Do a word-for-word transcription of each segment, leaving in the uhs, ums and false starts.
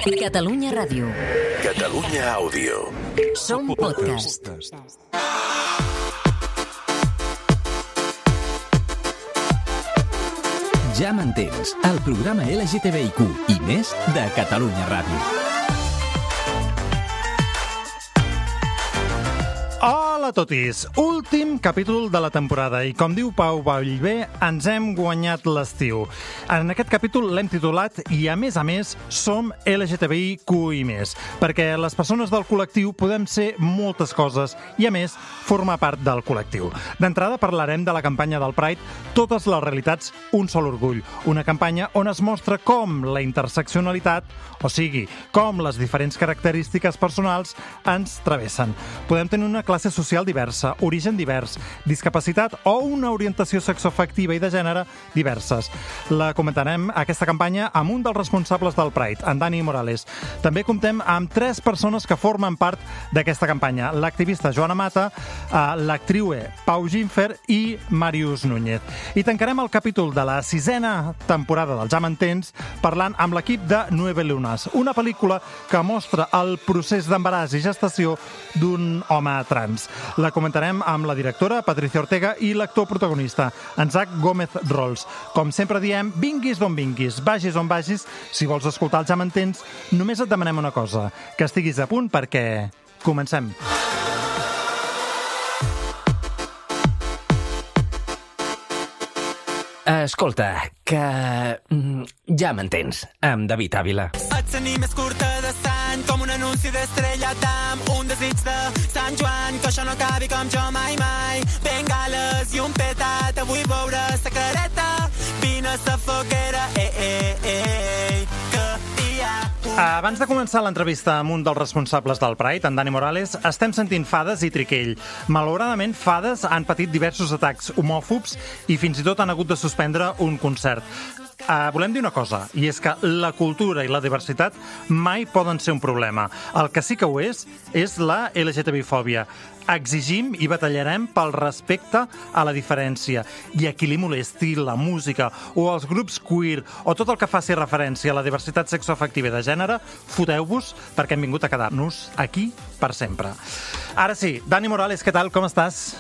Catalunya Ràdio. Catalunya Àudio. Som podcast. Ja m'entens, el programa L G T B I Q i més de Catalunya Ràdio. Hola a totis! Últim capítol de la temporada i, com diu Pau Vallvé, ens hem guanyat l'estiu. En aquest capítol l'hem titulat i, a més a més, som L G T B I Q i més, perquè les persones del col·lectiu podem ser moltes coses i, a més, formar part del col·lectiu. D'entrada parlarem de la campanya del Pride Totes les realitats, un sol orgull, una campanya on es mostra com la interseccionalitat, o sigui, com les diferents característiques personals ens travessen. Podem tenir una classe social diversa, origen divers, discapacitat o una orientació sexoafectiva i de gènere diverses. La comentarem, aquesta campanya, amb un dels responsables del Pride, en Dani Morales. També comptem amb tres persones que formen part d'aquesta campanya. L'activista Joana Mata, l'actriu Pau Ginfer i Màrius Núñez. I tancarem el capítol de la sisena temporada del Ja m'entens parlant amb l'equip de Nueve Lunas, una pel·lícula que mostra el procés d'embaràs i gestació d'un home trans. La comentarem amb la directora Patricia Ortega i l'actor protagonista, en Zach Gómez Rols. Com sempre diem, vinguis d'on vinguis, vagis on vagis, si vols escoltar el Ja m'entens, només et demanem una cosa, que estiguis a punt perquè comencem. Escolta, que... ja m'entens, amb David Ávila. Et tenir més curta de sang, com un anunci d'Estrella Damm, un desig de Sant Joan, que això no acabi com jo mai mai. Bengales i un petat, avui veure sa careta, vine a sa foguera, eh, eh, eh, que hi ha... Abans de començar l'entrevista amb un dels responsables del Pride, en Dani Morales, estem sentint fades i triquell. Malauradament, fades han patit diversos atacs homòfobs i fins i tot han hagut de suspendre un concert. Uh, volem dir una cosa, i és que la cultura i la diversitat mai poden ser un problema. El que sí que ho és, és la L G T B I fòbia. Exigim i batallarem pel respecte a la diferència. I a qui li molesti la música o els grups queer o tot el que faci referència a la diversitat sexoafectiva i de gènere, foteu-vos perquè hem vingut a quedar-nos aquí per sempre. Ara sí, Dani Morales, què tal? Com estàs?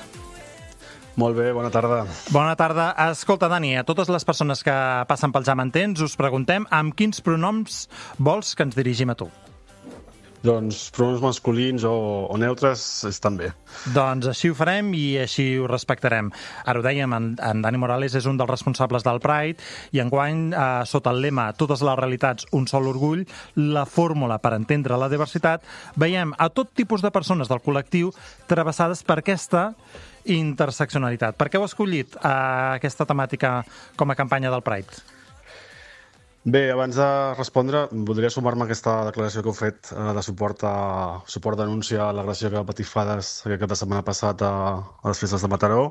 Molt bé, bona tarda. Bona tarda. Escolta, Dani, a totes les persones que passen pel Ja m'entens us preguntem amb quins pronoms vols que ens dirigim a tu? Doncs pronoms masculins o, o neutres estan bé. Doncs així ho farem i així ho respectarem. Ara ho dèiem, en, en Dani Morales és un dels responsables del Pride i enguany, eh, sota el lema Totes les realitats, un sol orgull, la fórmula per entendre la diversitat, veiem a tot tipus de persones del col·lectiu travessades per aquesta interseccionalitat. Per què heu escollit eh, aquesta temàtica com a campanya del Pride? Bé, abans de respondre, voldria sumar-me a aquesta declaració que heu fet eh, de suport a suport denúncia a l'agressió que va patir Fades aquest cap de setmana passat a, a les festes de Mataró.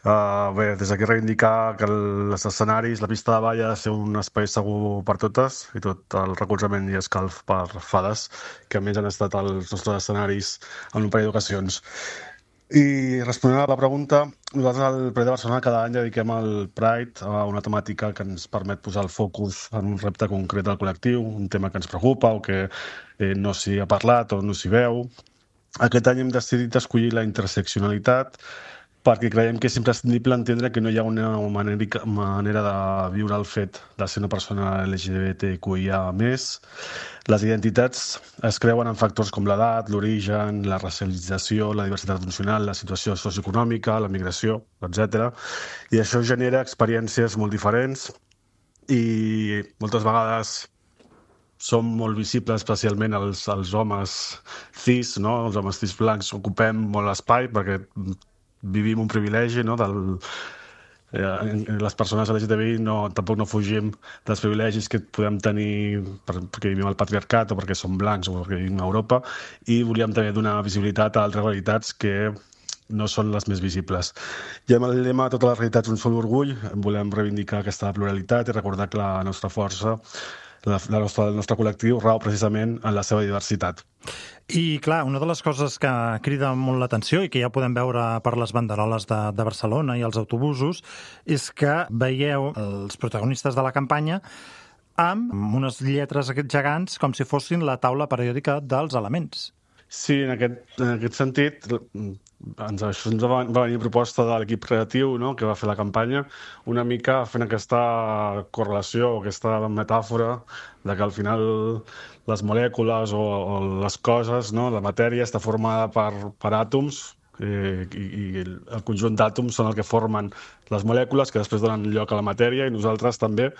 Uh, bé, des d'aquí reivindicar que els escenaris, la pista de ball ha de ser un espai segur per totes i tot el recolzament i escalf per Fades, que a més han estat els nostres escenaris en un parell d'ocasions. I responent a la pregunta, nosaltres al Pride de Barcelona cada any dediquem al Pride a una temàtica que ens permet posar el focus en un repte concret del col·lectiu, un tema que ens preocupa o que eh, no s'hi ha parlat o no s'hi veu. Aquest any hem decidit escollir la interseccionalitat perquè creiem que és imprescindible entendre que no hi ha una manera, manera de viure el fet de ser una persona L G B T Q I A més. Les identitats es creuen en factors com l'edat, l'origen, la racialització, la diversitat funcional, la situació socioeconòmica, la migració, etcètera. I això genera experiències molt diferents i moltes vegades som molt visibles, especialment els, els homes cis, no? Els homes cis blancs ocupem molt espai perquè vivim un privilegi, no? Del, eh, les persones L G T B I no, tampoc no fugim dels privilegis que podem tenir per, perquè vivim al patriarcat o perquè som blancs o perquè vivim a Europa, i volíem també donar visibilitat a altres realitats que no són les més visibles. I amb el lema Totes les realitats, un sol orgull, volem reivindicar aquesta pluralitat i recordar que la nostra força, la, la nostra, el nostre col·lectiu rau precisament en la seva diversitat. I, clar, una de les coses que crida molt l'atenció i que ja podem veure per les banderoles de, de Barcelona i els autobusos és que veieu els protagonistes de la campanya amb unes lletres gegants com si fossin la taula periòdica dels elements. Sí, en aquest, en aquest sentit, ens, això ens va, va venir proposta de l'equip creatiu, no?, que va fer la campanya, una mica fent aquesta correlació, aquesta metàfora de que al final les molècules o, o les coses, no?, la matèria està formada per, per àtoms, eh, i, i el conjunt d'àtoms són el que formen les molècules que després donen lloc a la matèria, i nosaltres també,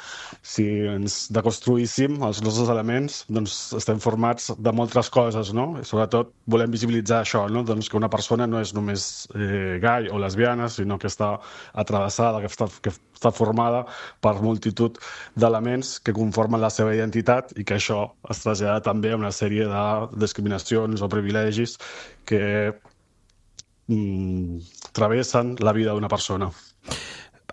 si ens deconstruíssim els nostres elements, doncs estem formats de moltes coses, no? I sobretot volem visibilitzar això, no? Doncs que una persona no és només eh, gai o lesbiana, sinó que està atravessada, que està, que està formada per multitud d'elements que conformen la seva identitat i que això es trasllada també a una sèrie de discriminacions o privilegis que mm, travessen la vida d'una persona.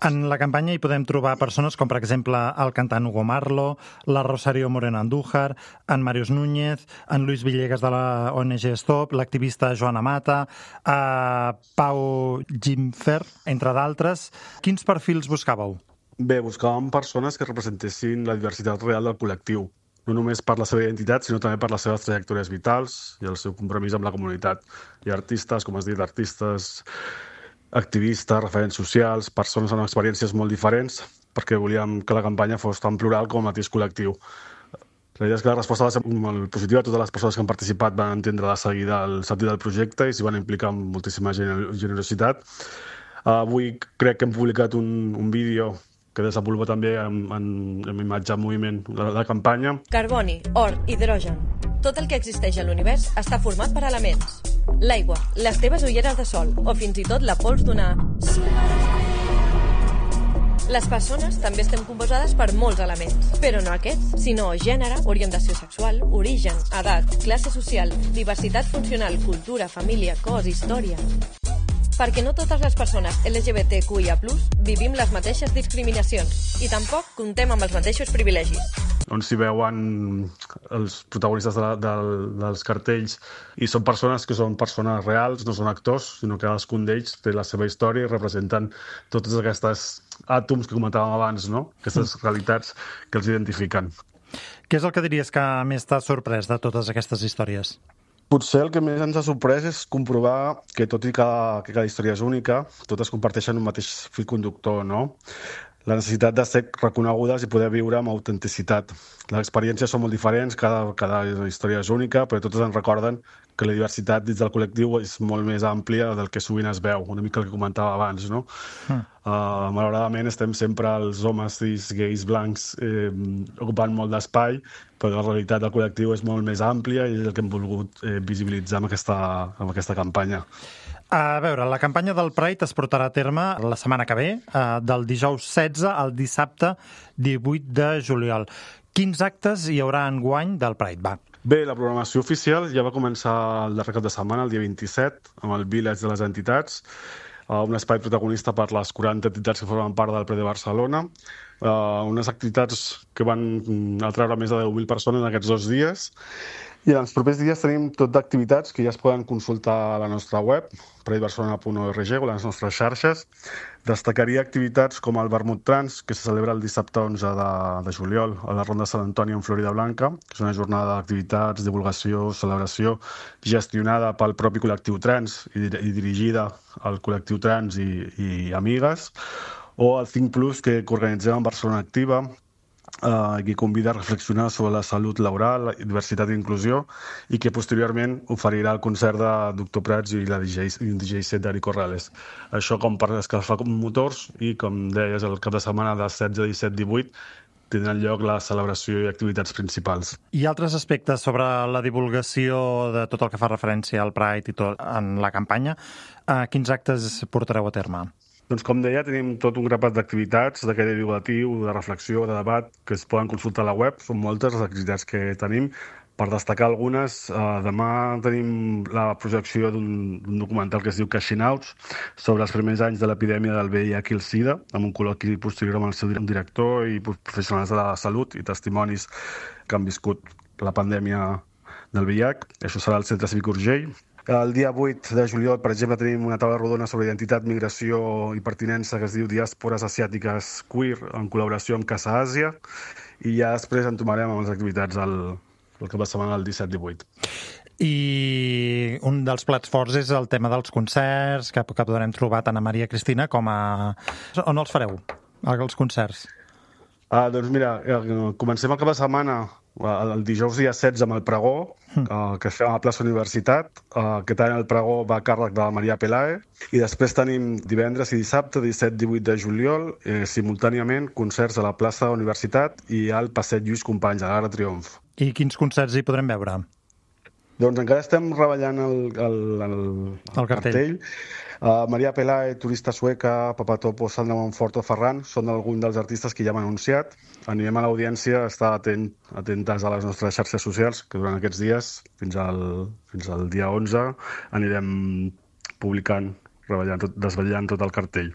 En la campanya hi podem trobar persones com, per exemple, el cantant Hugo Marlo, la Rosario Moreno Andújar, en Màrius Núñez, en Luis Villegas de la O N G Stop, l'activista Joana Mata, eh, Pau Gimfer, entre d'altres. Quins perfils buscàveu? Bé, buscàvem persones que representessin la diversitat real del col·lectiu, no només per la seva identitat, sinó també per les seves trajectòries vitals i el seu compromís amb la comunitat. Hi ha artistes, com has dit, artistes, activistes, referents socials, persones amb experiències molt diferents, perquè volíem que la campanya fos tan plural com el mateix col·lectiu. La idea és que la resposta va ser molt positiva. Totes les persones que han participat van entendre de seguida el sentit del projecte i s'hi van implicar amb moltíssima generositat. Avui crec que hem publicat un, un vídeo que desenvolupa també en, en, en imatge en moviment la, la campanya. Carboni, or, hidrogen. Tot el que existeix a l'univers està format per elements. L'aigua, les teves ulleres de sol o fins i tot la pols d'una... Les persones també estem composades per molts elements, però no aquests, sinó gènere, orientació sexual, origen, edat, classe social, diversitat funcional, cultura, família, cos, història... Perquè no totes les persones L G B T Q I A plus, vivim les mateixes discriminacions i tampoc comptem amb els mateixos privilegis. On s'hi veuen els protagonistes de la, de, dels cartells i són persones que són persones reals, no són actors, sinó que cadascun d'ells té la seva història i representen totes aquestes àtoms que comentàvem abans, no? Aquestes realitats que els identifiquen. Què és el que diries que més t'ha sorprès de totes aquestes històries? Potser el que més ens ha sorprès és comprovar que, tot i que, que cada història és única, totes comparteixen un mateix fil conductor, no? La necessitat de ser reconegudes i poder viure amb autenticitat. Les experiències són molt diferents, cada, cada història és única, però totes ens recorden que la diversitat dins del col·lectiu és molt més àmplia del que sovint es veu, una mica el que comentava abans, no? Mm. Uh, malauradament estem sempre els homes cis, gais, blancs eh, ocupant molt d'espai, però la realitat del col·lectiu és molt més àmplia i és el que hem volgut eh, visibilitzar amb aquesta, amb aquesta campanya. A veure, la campanya del Pride es portarà a terme la setmana que ve, eh, del dijous setze al dissabte divuit de juliol. Quins actes hi haurà enguany del Pride? Va. Bé, la programació oficial ja va començar el darrer cap de setmana, el dia vint-i-set, amb el Village de les Entitats, un espai protagonista per les quaranta entitats que formen part del Pride de Barcelona, unes activitats que van atraure més de deu mil persones en aquests dos dies. I en els propers dies tenim tot d'activitats que ja es poden consultar a la nostra web, pride barcelona punt org, o a les nostres xarxes. Destacaria activitats com el Vermut Trans, que se celebra el dissabte onze de juliol a la Ronda Sant Antoni en Florida Blanca, que és una jornada d'activitats, divulgació, celebració, gestionada pel propi col·lectiu trans i dirigida al col·lectiu trans i, i amigues. O el cinc plus, que organitzem en Barcelona Activa, Uh, que convida a reflexionar sobre la salut laboral, la diversitat i inclusió, i que posteriorment oferirà el concert de Doctor Prats i la D J, D J set d'Ari Corrales. Això com per escalfar motors i, com deies, el cap de setmana de setze, disset, divuit tindran lloc la celebració i activitats principals. I altres aspectes sobre la divulgació de tot el que fa referència al Pride i tot en la campanya, uh, quins actes portareu a terme? Doncs, com deia, tenim tot un grapat d'activitats, de caire divulgatiu, de reflexió, de debat, que es poden consultar a la web. Són moltes les activitats que tenim. Per destacar algunes, eh, demà tenim la projecció d'un documental que es diu Cashing Outs, sobre els primers anys de l'epidèmia del V I H i el SIDA, amb un col·loqui posterior amb el seu director i professionals de la salut i testimonis que han viscut la pandèmia del V I H. Això serà al Centre Cívic Urgell. El dia vuit de juliol, per exemple, tenim una taula rodona sobre identitat, migració i pertinença que es diu Diàspores Asiàtiques Queer, en col·laboració amb Casa Àsia, i ja després entomarem amb les activitats el, el cap de setmana del disset divuit. I un dels plats forts és el tema dels concerts, que, que podrem trobar tant a Maria Cristina com a... On els fareu, els concerts? Ah, doncs mira, comencem el cap de setmana, el dijous dia setze amb el pregó, uh, que fem a la plaça Universitat. Uh, aquest any el pregó va a càrrec de la Maria Pelae. I després tenim divendres i dissabte, disset divuit de juliol, eh, simultàniament concerts a la plaça Universitat i al passeig Lluís Companys, a l'Arc de Triomf. I quins concerts hi podrem veure? Doncs encara estem reballant el, el, el, el cartell. cartell. Uh, Maria Pelae, Turista Sueca, Papatopo, Sandra Monforto, Ferran, són alguns dels artistes que ja hem anunciat. Animem a l'audiència a estar atent, atentes a les nostres xarxes socials, que durant aquests dies, fins al, fins al dia onze, anirem publicant, treballant, tot, desvetllant tot el cartell.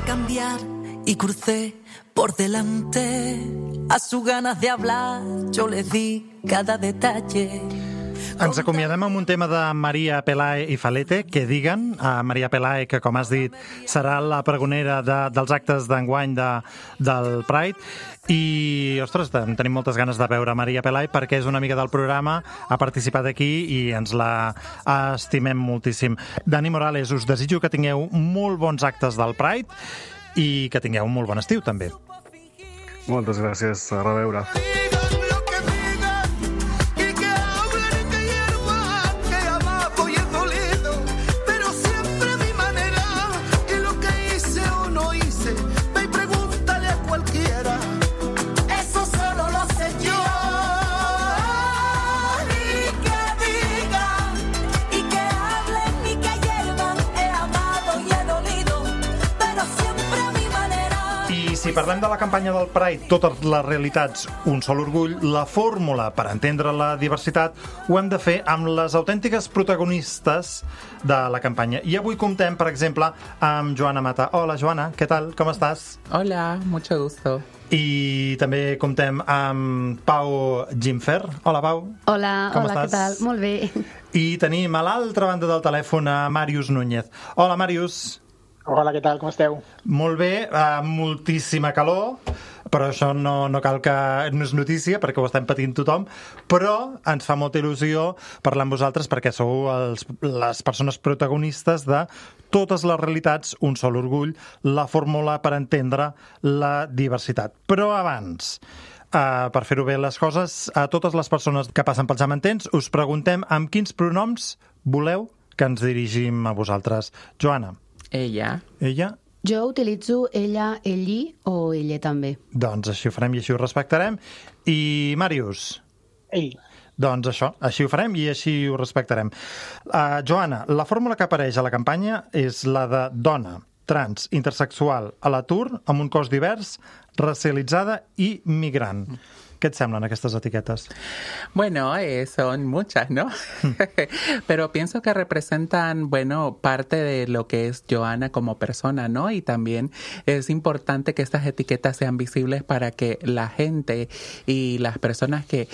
Cambiar y crucé por delante a sus ganas de hablar, yo les di cada detalle. Ens acomiadem amb un tema de Maria Pelae i Falete, que diguen a Maria Pelae, que com has dit serà la pregonera de, dels actes d'enguany de, del Pride, i, ostres, tenim moltes ganes de veure Maria Pelae perquè és una amiga del programa, ha participat aquí i ens la estimem moltíssim. Dani Morales, us desitjo que tingueu molt bons actes del Pride i que tingueu un molt bon estiu, també. Moltes gràcies, a reveure. Si parlem de la campanya del Pride, totes les realitats, un sol orgull, la fórmula per entendre la diversitat ho hem de fer amb les autèntiques protagonistes de la campanya. I avui comptem, per exemple, amb Joana Mata. Hola, Joana, què tal? Com estàs? Hola, mucho gusto. I també comptem amb Pau Gimfer. Hola, Pau. Hola, com hola, estàs? què tal? Molt bé. I tenim a l'altra banda del telèfon a Màrius Núñez. Hola, Màrius. Hola, què tal? Com esteu? Molt bé, uh, moltíssima calor, però això no, no cal que... no és notícia, perquè ho estem patint tothom, però ens fa molta il·lusió parlar amb vosaltres perquè sou els, les persones protagonistes de totes les realitats, un sol orgull, la fórmula per entendre la diversitat. Però abans, uh, per fer-ho bé les coses, a totes les persones que passen pels amatents, us preguntem amb quins pronoms voleu que ens dirigim a vosaltres. Joana. Ella. Ella? Jo utilitzo ella, elli o ella també. Doncs així ho farem i així ho respectarem. I Màrius? Ell. Doncs això, així ho farem i així ho respectarem. Uh, Joana, la fórmula que apareix a la campanya és la de dona, trans, intersexual, a l'atur, amb un cos divers, racialitzada i migrant. ¿Qué te semblan estas etiquetas? Bueno, eh, son muchas, ¿no? Pero pienso que representan, bueno, parte de lo que es Joana como persona, ¿no? Y también es importante que estas etiquetas sean visibles para que la gente y las personas que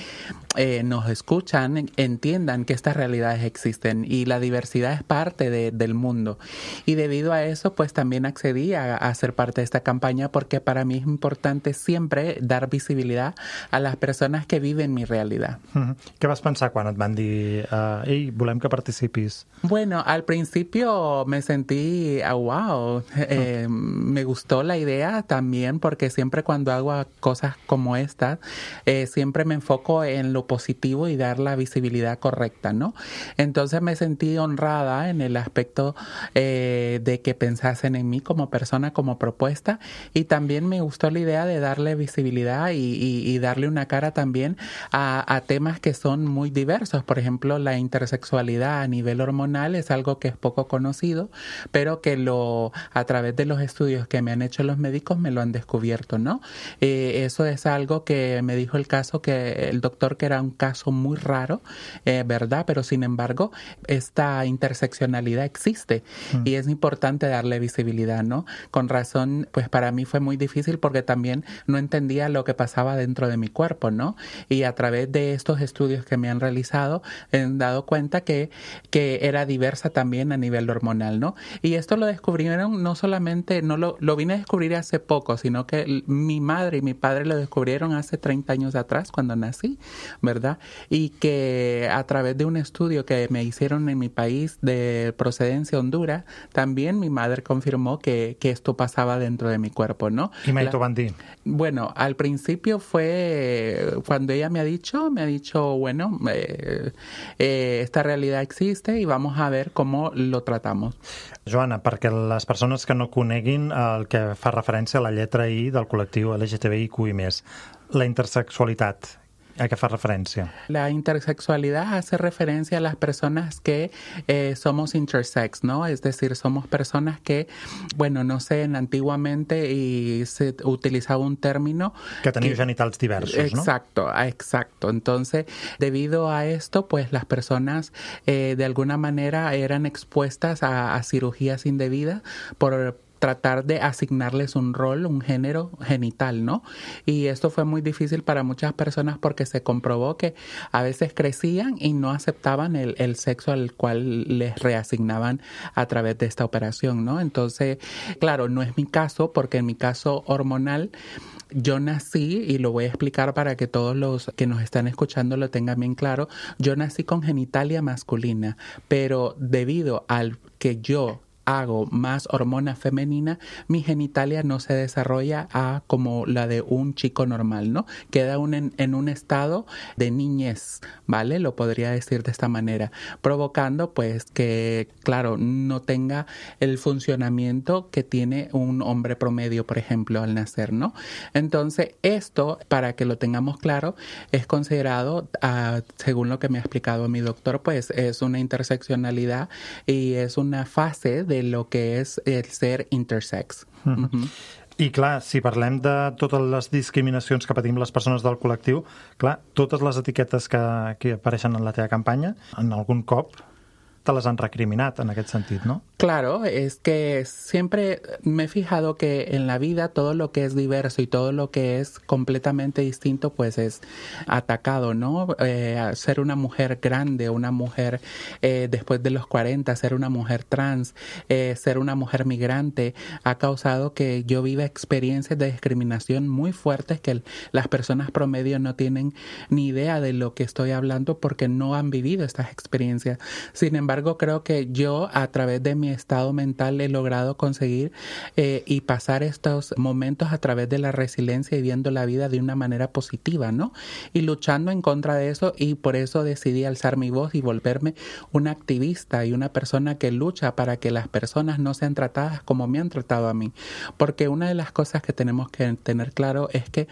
eh, nos escuchan entiendan que estas realidades existen y la diversidad es parte de, del mundo. Y debido a eso, pues también accedí a, a ser parte de esta campaña porque para mí es importante siempre dar visibilidad a las personas que viven mi realidad. Mm-hmm. Què vas pensar quan et van dir uh, ei, volem que participis? Bueno, al principio me sentí, oh, wow, eh, mm. me gustó la idea también porque siempre cuando hago cosas como estas, eh, siempre me enfoco en lo positivo y dar la visibilidad correcta, ¿no? Entonces me sentí honrada en el aspecto eh, de que pensasen en mí como persona, como propuesta, y también me gustó la idea de darle visibilidad y, y, y darle darle una cara también a, a temas que son muy diversos. Por ejemplo, la intersexualidad a nivel hormonal es algo que es poco conocido, pero que lo a través de los estudios que me han hecho los médicos me lo han descubierto, ¿no? Eh, eso es algo que me dijo el caso que el doctor que era un caso muy raro, eh, ¿verdad? Pero sin embargo, esta interseccionalidad existe mm. y es importante darle visibilidad, ¿no? Con razón, pues para mí fue muy difícil porque también no entendía lo que pasaba dentro de mi cuerpo, ¿no? Y a través de estos estudios que me han realizado, he dado cuenta que, que era diversa también a nivel hormonal, ¿no? Y esto lo descubrieron no solamente, no lo, lo vine a descubrir hace poco, sino que mi madre y mi padre lo descubrieron hace treinta años atrás cuando nací, ¿verdad? Y que a través de un estudio que me hicieron en mi país de procedencia Honduras, también mi madre confirmó que, que esto pasaba dentro de mi cuerpo, ¿no? ¿Y me lo van a decir? Bueno, al principio fue cuando ella me ha dicho, me ha dicho, bueno, eh, eh, esta realidad existe y vamos a ver cómo lo tratamos. Joana, perquè les persones que no coneguin el que fa referència a la lletra I del col·lectiu L G T B I Q i més, la intersexualitat, ¿a qué hace referencia? La intersexualidad hace referencia a las personas que eh, somos intersex, ¿no? Es decir, somos personas que, bueno, no sé, antiguamente y se utilizaba un término... Que tenían genitals diversos, ¿no? Exacto, exacto. Entonces, debido a esto, pues las personas eh, de alguna manera eran expuestas a, a cirugías indebidas por... tratar de asignarles un rol, un género genital, ¿no? Y esto fue muy difícil para muchas personas porque se comprobó que a veces crecían y no aceptaban el, el sexo al cual les reasignaban a través de esta operación, ¿no? Entonces, claro, no es mi caso porque en mi caso hormonal yo nací, y lo voy a explicar para que todos los que nos están escuchando lo tengan bien claro, yo nací con genitalia masculina, pero debido al que yo hago más hormona femenina, mi genitalia no se desarrolla a como la de un chico normal, ¿no? Queda un en, en un estado de niñez, ¿vale? Lo podría decir de esta manera, provocando pues que, claro, no tenga el funcionamiento que tiene un hombre promedio, por ejemplo, al nacer, ¿no? Entonces, esto, para que lo tengamos claro, es considerado, uh, según lo que me ha explicado mi doctor, pues es una interseccionalidad y es una fase de lo que és el ser intersex. Mm-hmm. Mm-hmm. I clar, si parlem de totes les discriminacions que patim les persones del col·lectiu, clar, totes les etiquetes que, que apareixen en la teva campanya, en algun cop te les han recriminat en aquest sentit, ¿no? Claro, es que siempre me he fijado que en la vida todo lo que es diverso y todo lo que es completamente distinto pues es atacado, ¿no? Eh, ser una mujer grande, una mujer eh, después de los cuarenta, ser una mujer trans, eh, ser una mujer migrante, ha causado que yo viva experiencias de discriminación muy fuertes que el, las personas promedio no tienen ni idea de lo que estoy hablando porque no han vivido estas experiencias. Sin embargo, creo que yo a través de mi estado mental he logrado conseguir eh, y pasar estos momentos a través de la resiliencia y viendo la vida de una manera positiva, ¿no? Y luchando en contra de eso, y por eso decidí alzar mi voz y volverme una activista y una persona que lucha para que las personas no sean tratadas como me han tratado a mí. Porque una de las cosas que tenemos que tener claro es que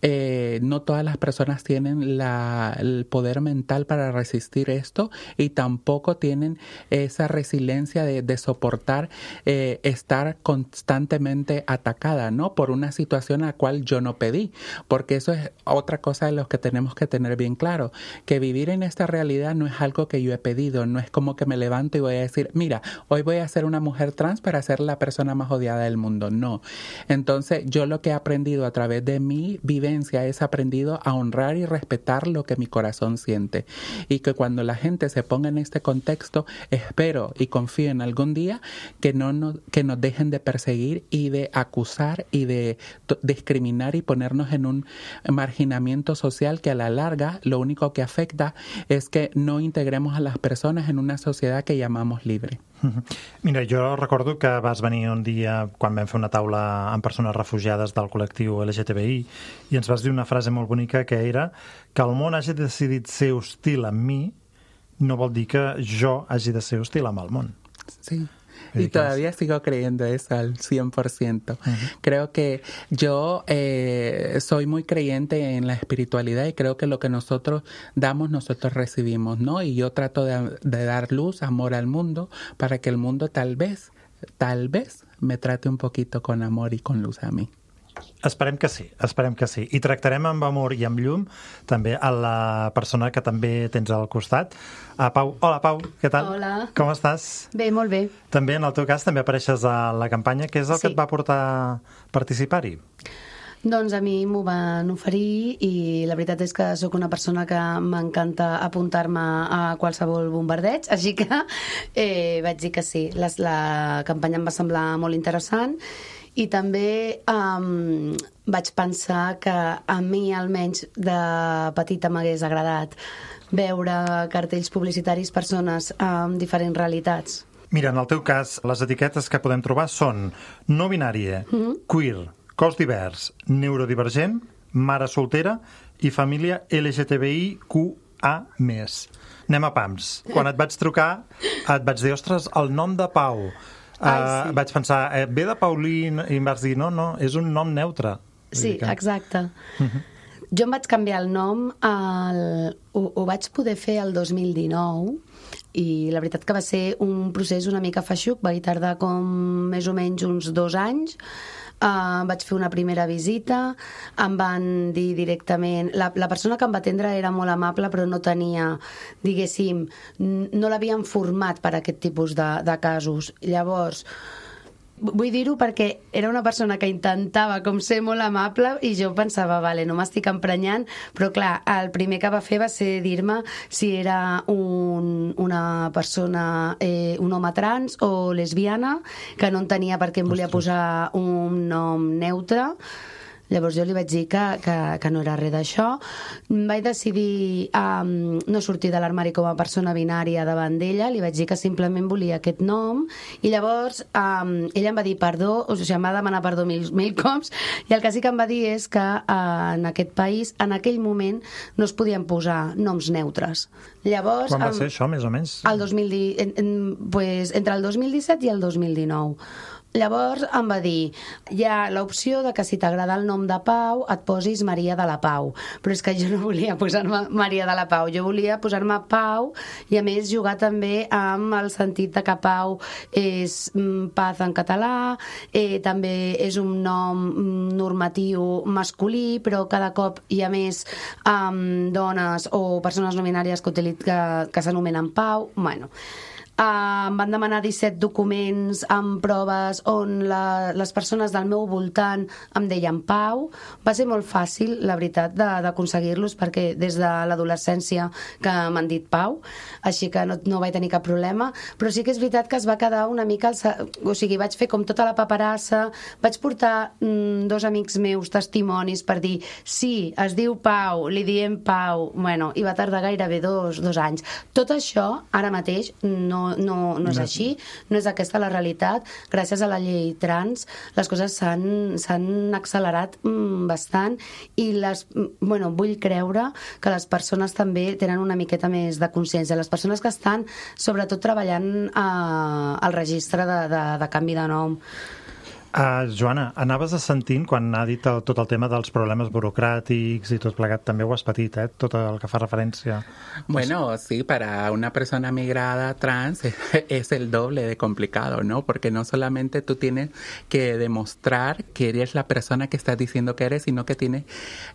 eh, no todas las personas tienen la, el poder mental para resistir esto y tampoco tienen esa resiliencia de, de soportar eh, estar constantemente atacada, ¿no? Por una situación a la cual yo no pedí, porque eso es otra cosa de los que tenemos que tener bien claro, que vivir en esta realidad no es algo que yo he pedido, no es como que me levanto y voy a decir, mira, hoy voy a ser una mujer trans para ser la persona más odiada del mundo, no. Entonces, yo lo que he aprendido a través de mi vivencia es aprendido a honrar y respetar lo que mi corazón siente, y que cuando la gente se ponga en este contexto, espero y confío en algún día que no nos, que nos dejen de perseguir y de acusar y de t- discriminar y ponernos en un marginamiento social que a la larga lo único que afecta es que no integremos a las personas en una sociedad que llamamos libre. Mira, jo recordo que vas venir un dia quan vam fer una taula amb persones refugiades del col·lectiu L G T B I i ens vas dir una frase molt bonica que era que el món hagi decidit ser hostil amb mi no vol dir que jo hagi de ser hostil amb el món. Sí. Y todavía sigo creyendo eso al cien por ciento. Uh-huh. Creo que yo eh, soy muy creyente en la espiritualidad y creo que lo que nosotros damos, nosotros recibimos, ¿no? Y yo trato de, de dar luz, amor al mundo, para que el mundo tal vez, tal vez me trate un poquito con amor y con luz a mí. Esperem que sí, esperem que sí. I tractarem amb amor i amb llum també a la persona que també tens al costat. A Pau. Hola, Pau, què tal? Hola. Com estàs? Bé, molt bé. També, en el teu cas, també apareixes a la campanya. Què és el sí. que et va portar a participar-hi? Doncs a mi m'ho van oferir i la veritat és que sóc una persona que m'encanta apuntar-me a qualsevol bombardeig, així que eh, vaig dir que sí. La, la campanya em va semblar molt interessant i també um, vaig pensar que a mi almenys de petita m'hagués agradat veure cartells publicitaris, persones amb diferents realitats. Mira, en el teu cas, les etiquetes que podem trobar són no binària, mm-hmm. queer, cos divers, neurodivergent, mare soltera i família L G T B I Q A més. Anem a pams. Quan et vaig trucar, et vaig dir, ostres, el nom de Pau. Ai, sí. uh, vaig pensar, eh, ve de Paulín, i em vas dir, no, no, és un nom neutre. Sí, que... exacte. Uh-huh. Jo em vaig canviar el nom, el... ho, ho vaig poder fer el dos mil dinou, i la veritat que va ser un procés una mica feixuc, va tardar com més o menys uns dos anys. Uh, vaig fer una primera visita, em van dir directament... La, la persona que em va atendre era molt amable, però no tenia, diguéssim, no l'havien format per a aquest tipus de, de casos. Llavors, vull dir-ho perquè era una persona que intentava com ser molt amable i jo pensava, vale, no m'estic emprenyant, però clar, el primer que va fer va ser dir-me si era un, una persona, eh, un home trans o lesbiana, que no entenia per què em volia posar un nom neutre. Llavors jo li vaig dir que, que, que no era res d'això. Vaig decidir um, no sortir de l'armari com a persona binària davant d'ella, li vaig dir que simplement volia aquest nom, i llavors um, ella em va dir perdó, o sigui, em va demanar perdó mil, mil cops, i el que sí que em va dir és que uh, en aquest país, en aquell moment, no es podien posar noms neutres. Llavors, quan va um, ser això, més o menys? El dos mil deu, en, en, pues, entre el dos mil disset i el dos mil dinou. Llavors em va dir, hi ha l'opció de que si t'agrada el nom de Pau et posis Maria de la Pau, però és que jo no volia posar-me Maria de la Pau, jo volia posar-me Pau i a més jugar també amb el sentit de que Pau és paz en català, eh, també és un nom normatiu masculí, però cada cop hi ha més um, dones o persones no binàries que, que, que s'anomenen Pau. Bueno, Uh, em van demanar disset documents amb proves on la, les persones del meu voltant em deien Pau. Va ser molt fàcil, la veritat, d'aconseguir-los, perquè des de l'adolescència que m'han dit Pau, així que no, no vaig tenir cap problema, però sí que és veritat que es va quedar una mica al... o sigui, vaig fer com tota la paperassa, vaig portar mm, dos amics meus testimonis per dir sí, es diu Pau, li diem Pau, bueno, i va tardar gairebé dos, dos anys. Tot això, ara mateix, no No, no és no. així, no és aquesta la realitat. Gràcies a la llei trans les coses s'han accelerat mm, bastant i les, bueno, vull creure que les persones també tenen una miqueta més de consciència, les persones que estan sobretot treballant eh, al registre de, de, de canvi de nom. Uh, Joana, anaves sentint quan ha dit el, tot el tema dels problemes burocràtics i tot plegat, també ho has patit, eh? Tot el que fa referència. Bueno, sí, para una persona migrada trans es el doble de complicado, ¿no? Porque no solamente tú tienes que demostrar que eres la persona que estás diciendo que eres, sino que tienes,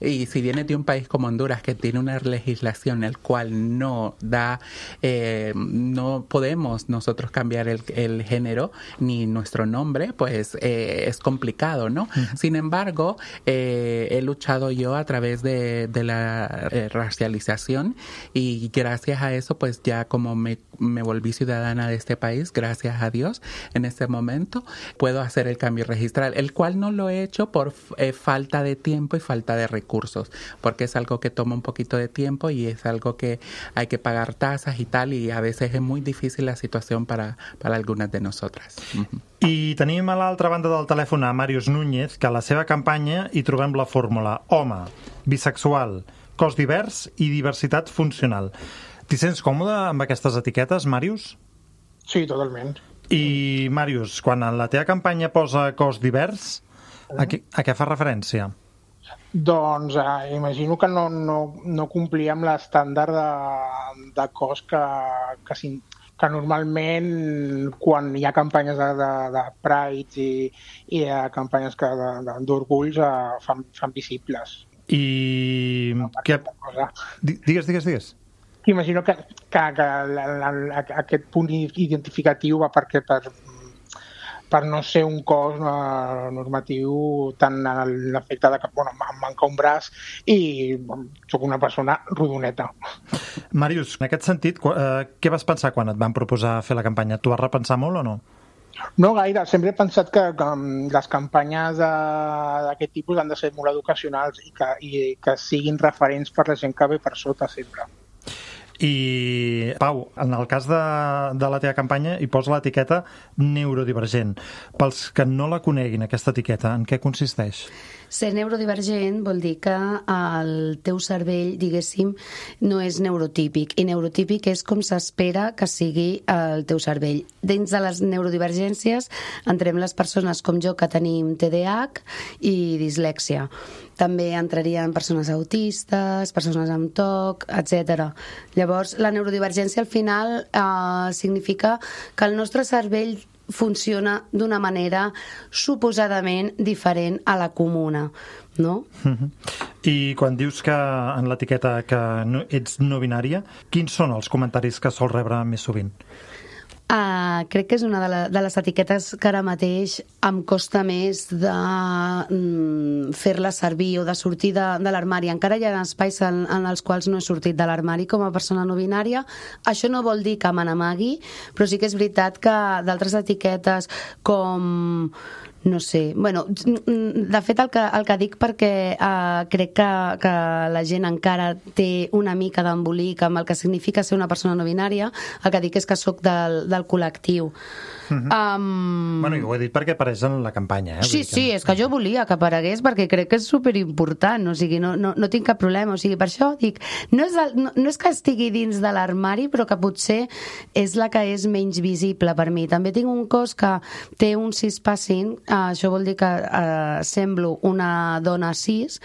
y si vienes de un país como Honduras que tiene una legislación el cual no da, eh, no podemos nosotros cambiar el, el género ni nuestro nombre, pues eh, es complicado, ¿no? Uh-huh. Sin embargo, eh, he luchado yo a través de, de la eh, racialización y gracias a eso, pues ya como me, me volví ciudadana de este país, gracias a Dios, en este momento puedo hacer el cambio registral, el cual no lo he hecho por eh, falta de tiempo y falta de recursos, porque es algo que toma un poquito de tiempo y es algo que hay que pagar tasas y tal, y a veces es muy difícil la situación para, para algunas de nosotras. Uh-huh. I tenim a l'altra banda del telèfon a Màrius Núñez, que a la seva campanya hi trobem la fórmula home, bisexual, cos divers i diversitat funcional. T'hi sents còmode amb aquestes etiquetes, Màrius? Sí, totalment. I, Màrius, quan en la teva campanya posa cos divers, a què, a què fa referència? Doncs eh, imagino que no, no, no complia amb l'estàndard de, de cos que, que, que normalment quan hi ha campanyes de, de, de Pride i, i hi ha campanyes d'orgulls eh, fan, fan visibles. I... Que... Digues, digues, digues. Imagino que, que, que la, la, la, aquest punt identificatiu va perquè per, per no ser un cos uh, normatiu tan en l'efecte de que bueno, em manca un braç i bueno, soc una persona rodoneta. Màrius, en aquest sentit, eh, què vas pensar quan et van proposar fer la campanya? Tu vas repensar molt o no? No gaire, sempre he pensat que, que les campanyes d'aquest tipus han de ser molt educacionals i que, i que siguin referents per la gent que ve per sota sempre. I, Pau, en el cas de, de la teva campanya hi posa l'etiqueta neurodivergent. Pels que no la coneguin, aquesta etiqueta, en què consisteix? Ser neurodivergent vol dir que el teu cervell, diguéssim, no és neurotípic, i neurotípic és com s'espera que sigui el teu cervell. Dins de les neurodivergències entrem les persones com jo que tenim T D A H i dislèxia. També entrarien persones autistes, persones amb T O C, etcètera. Llavors, la neurodivergència al final eh, significa que el nostre cervell funciona d'una manera suposadament diferent a la comuna, no? Uh-huh. I quan dius que en l'etiqueta que no, ets no binària, quins són els comentaris que sols rebre més sovint? Uh, crec que és una de, la, de les etiquetes que ara mateix em costa més de mm, fer-la servir o de sortir de, de l'armari. Encara hi ha espais en, en els quals no he sortit de l'armari com a persona no binària. Això no vol dir que me n'amagui, però sí que és veritat que d'altres etiquetes com... no sé, bueno, de fet el que, el que dic perquè uh, crec que, que la gent encara té una mica d'embolic amb el que significa ser una persona no binària, el que dic és que sóc del, del col·lectiu. Uh-huh. um... Bueno, i ho he dit perquè apareix en la campanya, eh? Sí, que... sí, és que jo volia que aparegués perquè crec que és superimportant, o sigui, no, no, no tinc cap problema, o sigui, per això dic, no és, el, no, no és que estigui dins de l'armari, però que potser és la que és menys visible per mi. També tinc un cos que té un cispassing, uh, això vol dir que uh, semblo una dona cis,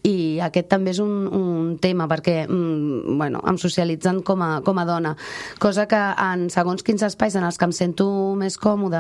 i aquest també és un, un tema perquè, mm, bueno, em socialitzen com a, com a dona, cosa que en segons quins espais en els que em sento més més còmode,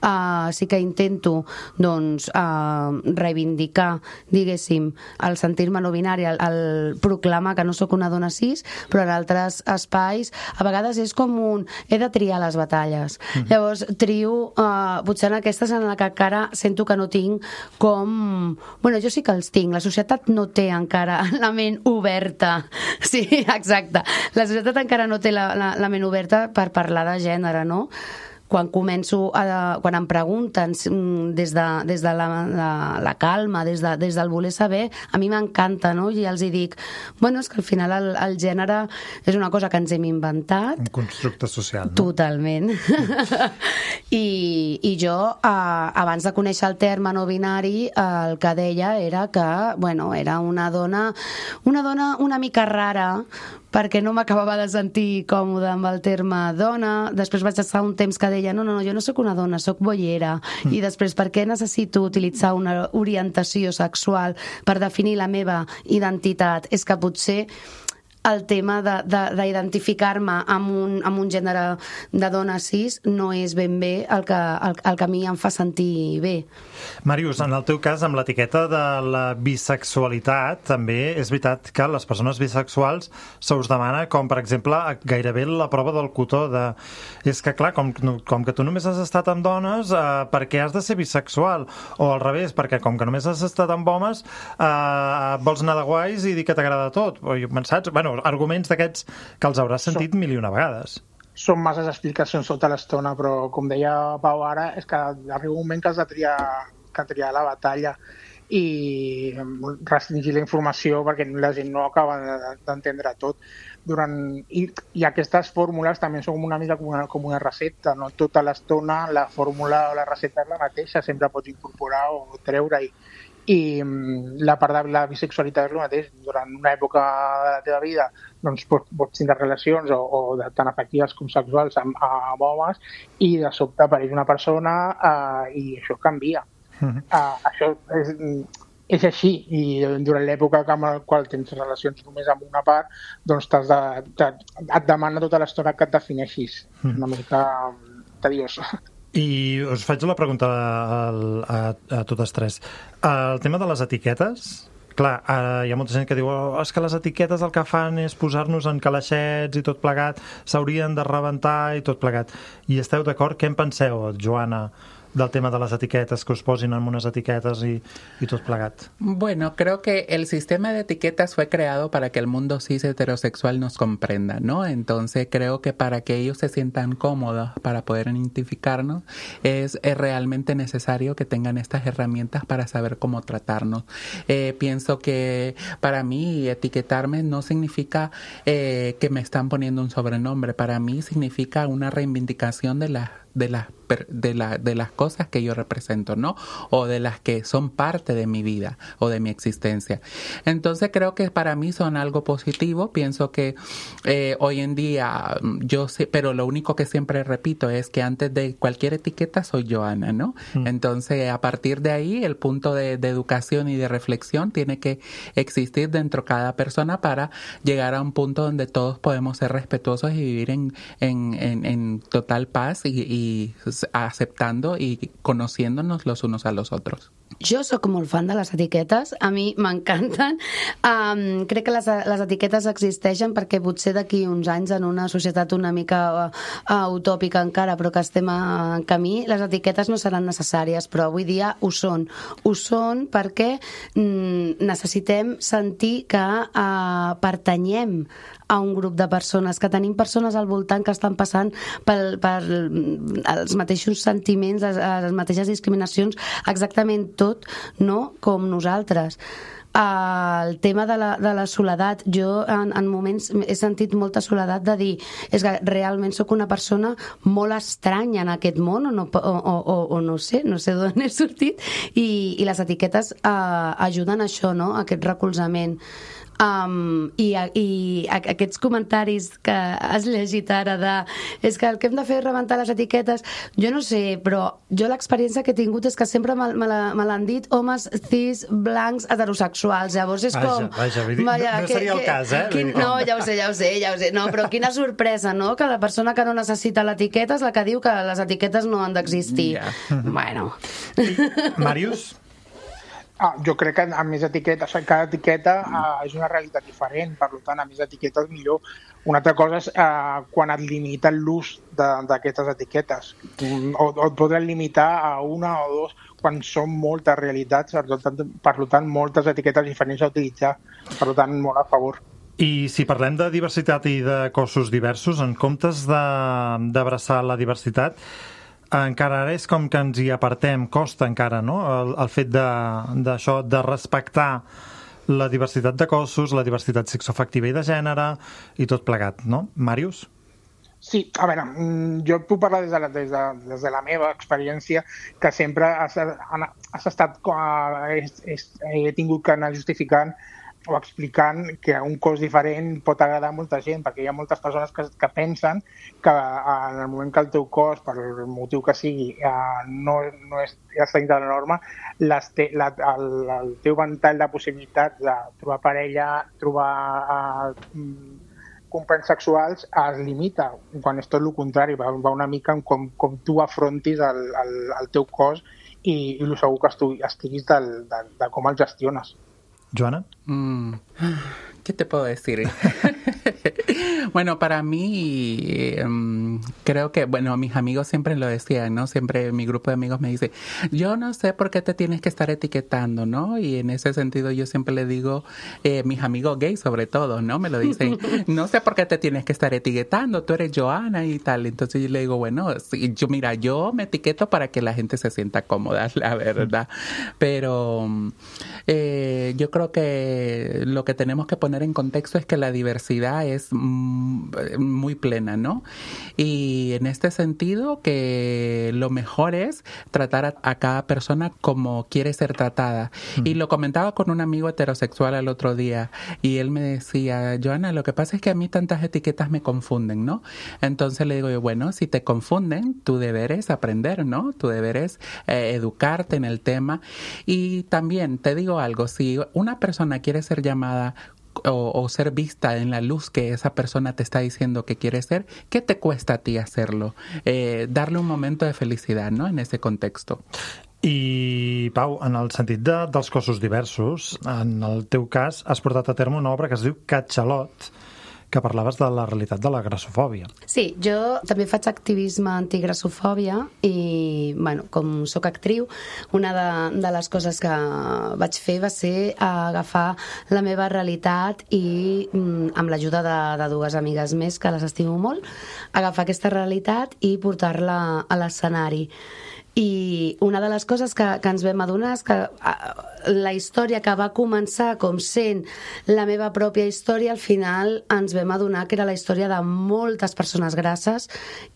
uh, sí que intento doncs, uh, reivindicar, diguéssim, el sentir-me no binari, el, el proclamar que no sóc una dona cis, però en altres espais a vegades és com un he de triar les batalles. Mm-hmm. Llavors trio, uh, potser en aquestes en la que encara sento que no tinc com... Bueno, jo sí que els tinc, la societat no té encara la ment oberta. Sí, exacte. La societat encara no té la, la, la ment oberta per parlar de gènere, no? Quan començo a, quan em pregunten des de, des de la, la, la calma, des, de, des del voler saber, a mi m'encanta, no? I els hi dic, bueno, és que al final el, el gènere és una cosa que ens hem inventat. Un constructe social, no? Totalment. I, i jo, eh, abans de conèixer el terme no binari, eh, el que deia era que, bueno, era una dona, una dona una mica rara, perquè no m'acabava de sentir còmode amb el terme dona. Després vaig estar un temps que deia no, no, no, jo no sóc una dona, sóc boiera. Mm. I després, per què necessito utilitzar una orientació sexual per definir la meva identitat? És que potser el tema d'identificar-me amb, un, amb un gènere de dona cis no és ben bé el que, el, el que a mi em fa sentir bé. Màrius, en el teu cas, amb l'etiqueta de la bisexualitat, també és veritat que les persones bisexuals se us demana, com per exemple, gairebé la prova del cotó de... És que clar, com, com que tu només has estat amb dones, eh, per què has de ser bisexual? O al revés, perquè com que només has estat amb homes, eh, vols anar de guais i dir que t'agrada tot. O, saps? Bueno, arguments d'aquests que els hauràs sentit mil i una vegades. Són masses explicacions tota l'estona, però com deia Pau ara, és que arriba un moment que has de triar, que triar la batalla i restringir la informació perquè la gent no acaba d'entendre tot. Durant, i, i aquestes fórmules també són una mica com una, com una recepta, no? Tota l'estona la fórmula o la recepta és la mateixa, sempre pots incorporar o treure-hi. I la part de la bisexualitat és el mateix. Durant una època de la teva vida doncs pots, pots tindre relacions o, o de, tant afectives com sexuals amb, amb homes i de sobte apareix una persona uh, i això canvia. Uh-huh. Uh, això és, és així i durant l'època en la qual tens relacions només amb una part doncs t'has de, te, et demana tota l'estona que et defineixis. Uh-huh. Una mica tediós. I us faig la pregunta a, a, a totes tres. El tema de les etiquetes, clar, eh, hi ha molta gent que diu oh, és que les etiquetes el que fan és posar-nos en calaixets i tot plegat, s'haurien de rebentar i tot plegat. I esteu d'acord? Què en penseu, Joana, del tema de las etiquetas, que os posen en unas etiquetas y, y todo plegat? Bueno, creo que el sistema de etiquetas fue creado para que el mundo cis heterosexual nos comprenda, ¿no? Entonces creo que para que ellos se sientan cómodos para poder identificarnos es, es realmente necesario que tengan estas herramientas para saber cómo tratarnos. Eh, pienso que para mí etiquetarme no significa eh, que me están poniendo un sobrenombre, para mí significa una reivindicación de la de las de la de las cosas que yo represento, ¿no? O de las que son parte de mi vida o de mi existencia. Entonces creo que para mí son algo positivo. Pienso que eh, hoy en día yo sé, pero lo único que siempre repito es que antes de cualquier etiqueta soy Joana, ¿no? Mm. Entonces a partir de ahí el punto de, de educación y de reflexión tiene que existir dentro de cada persona para llegar a un punto donde todos podemos ser respetuosos y vivir en en, en, en total paz y, y aceptando y conociéndonos los unos a los otros. Jo sóc molt fan de les etiquetes, a mi m'encanten. Um, crec que les, les etiquetes existeixen perquè potser d'aquí uns anys en una societat una mica uh, utòpica encara, però que estem en camí, les etiquetes no seran necessàries, però avui dia ho són. Ho són perquè mm, necessitem sentir que uh, pertanyem a un grup de persones, que tenim persones al voltant que estan passant per, per els mateixos sentiments, les, les mateixes discriminacions, exactament tot, no?, com nosaltres. El tema de la, de la soledat, jo en, en moments he sentit molta soledat de dir és que realment sóc una persona molt estranya en aquest món o no, o, o, o no sé, no sé d'on he sortit i, i les etiquetes eh, ajuden a això, no?, a aquest recolzament. Um, i, i aquests comentaris que has llegit ara de és que el que hem de fer és rebentar les etiquetes, jo no sé, però jo l'experiència que he tingut és que sempre me, me, la, me l'han dit homes cis, blancs, heterosexuals, llavors és com vaja, vaja, vaja, no, no seria que, el cas, eh? Quin, no, ja ho sé, ja ho sé, ja ho sé no, però quina sorpresa, no?, que la persona que no necessita l'etiqueta és la que diu que les etiquetes no han d'existir. Yeah. Bueno. Màrius? Ah, jo crec que amb més etiquetes, cada etiqueta uh, és una realitat diferent, per tant, amb més etiquetes millor. Una altra cosa és uh, quan et limita l'ús d'aquestes etiquetes. O, o et podran limitar a una o dos quan són moltes realitats, per tant, per tant moltes etiquetes diferents a utilitzar. Per tant, molt a favor. I si parlem de diversitat i de cossos diversos, en comptes d'abraçar la diversitat, encara ara és com que ens hi apartem, costa encara, no?, el, el fet d'això, de, de respectar la diversitat de cossos, la diversitat sexoafectiva i de gènere i tot plegat, no? Màrius? Sí, a veure, jo puc parlar des de la, des de, des de la meva experiència, que sempre has, has estat, he, he tingut que anar justificant o explicant que un cos diferent pot agradar a molta gent, perquè hi ha moltes persones que, que pensen que en el moment que el teu cos, per el motiu que sigui, no, no és, ja està dintre de la norma, les te, la, el, el teu ventall de possibilitats de trobar parella, trobar uh, companys sexuals es limita, quan és tot el contrari, va, va una mica com, com tu afrontis el, el, el teu cos i, i el segur que estu, estiguis del, de, de com el gestiones. Joana? Mm. ¿Qué te puedo decir? Bueno, para mí, um, creo que, bueno, mis amigos siempre lo decían, ¿no? Siempre mi grupo de amigos me dice, yo no sé por qué te tienes que estar etiquetando, ¿no? Y en ese sentido yo siempre le digo, eh, mis amigos gays sobre todo, ¿no? Me lo dicen, no sé por qué te tienes que estar etiquetando, tú eres Joana y tal. Entonces yo le digo, bueno, sí, yo mira, yo me etiqueto para que la gente se sienta cómoda, la verdad. Pero eh, yo creo que lo que tenemos que poner en contexto es que la diversidad es muy plena, ¿no? Y, Y en este sentido, que lo mejor es tratar a, a cada persona como quiere ser tratada. Mm. Y lo comentaba con un amigo heterosexual el otro día, y él me decía, Joana, lo que pasa es que a mí tantas etiquetas me confunden, ¿no? Entonces le digo yo, bueno, si te confunden, tu deber es aprender, ¿no? Tu deber es eh, educarte en el tema. Y también te digo algo, si una persona quiere ser llamada O, o ser vista en la luz que esa persona te está diciendo que quiere ser, ¿qué te cuesta a ti hacerlo? Eh, darle un momento de felicidad, ¿no?, en ese contexto. I, Pau, en el sentit de, dels cossos diversos, en el teu cas has portat a terme una obra que es diu Catxalot, que parlaves de la realitat de la grassofòbia. Sí, jo també faig activisme antigrassofòbia i, bueno, com sóc actriu, una de, de les coses que vaig fer va ser agafar la meva realitat i, amb l'ajuda de, de dues amigues més, que les estimo molt, agafar aquesta realitat i portar-la a l'escenari. I una de les coses que, que ens vam adonar és que la història que va començar com sent la meva pròpia història, al final ens vam adonar que era la història de moltes persones grasses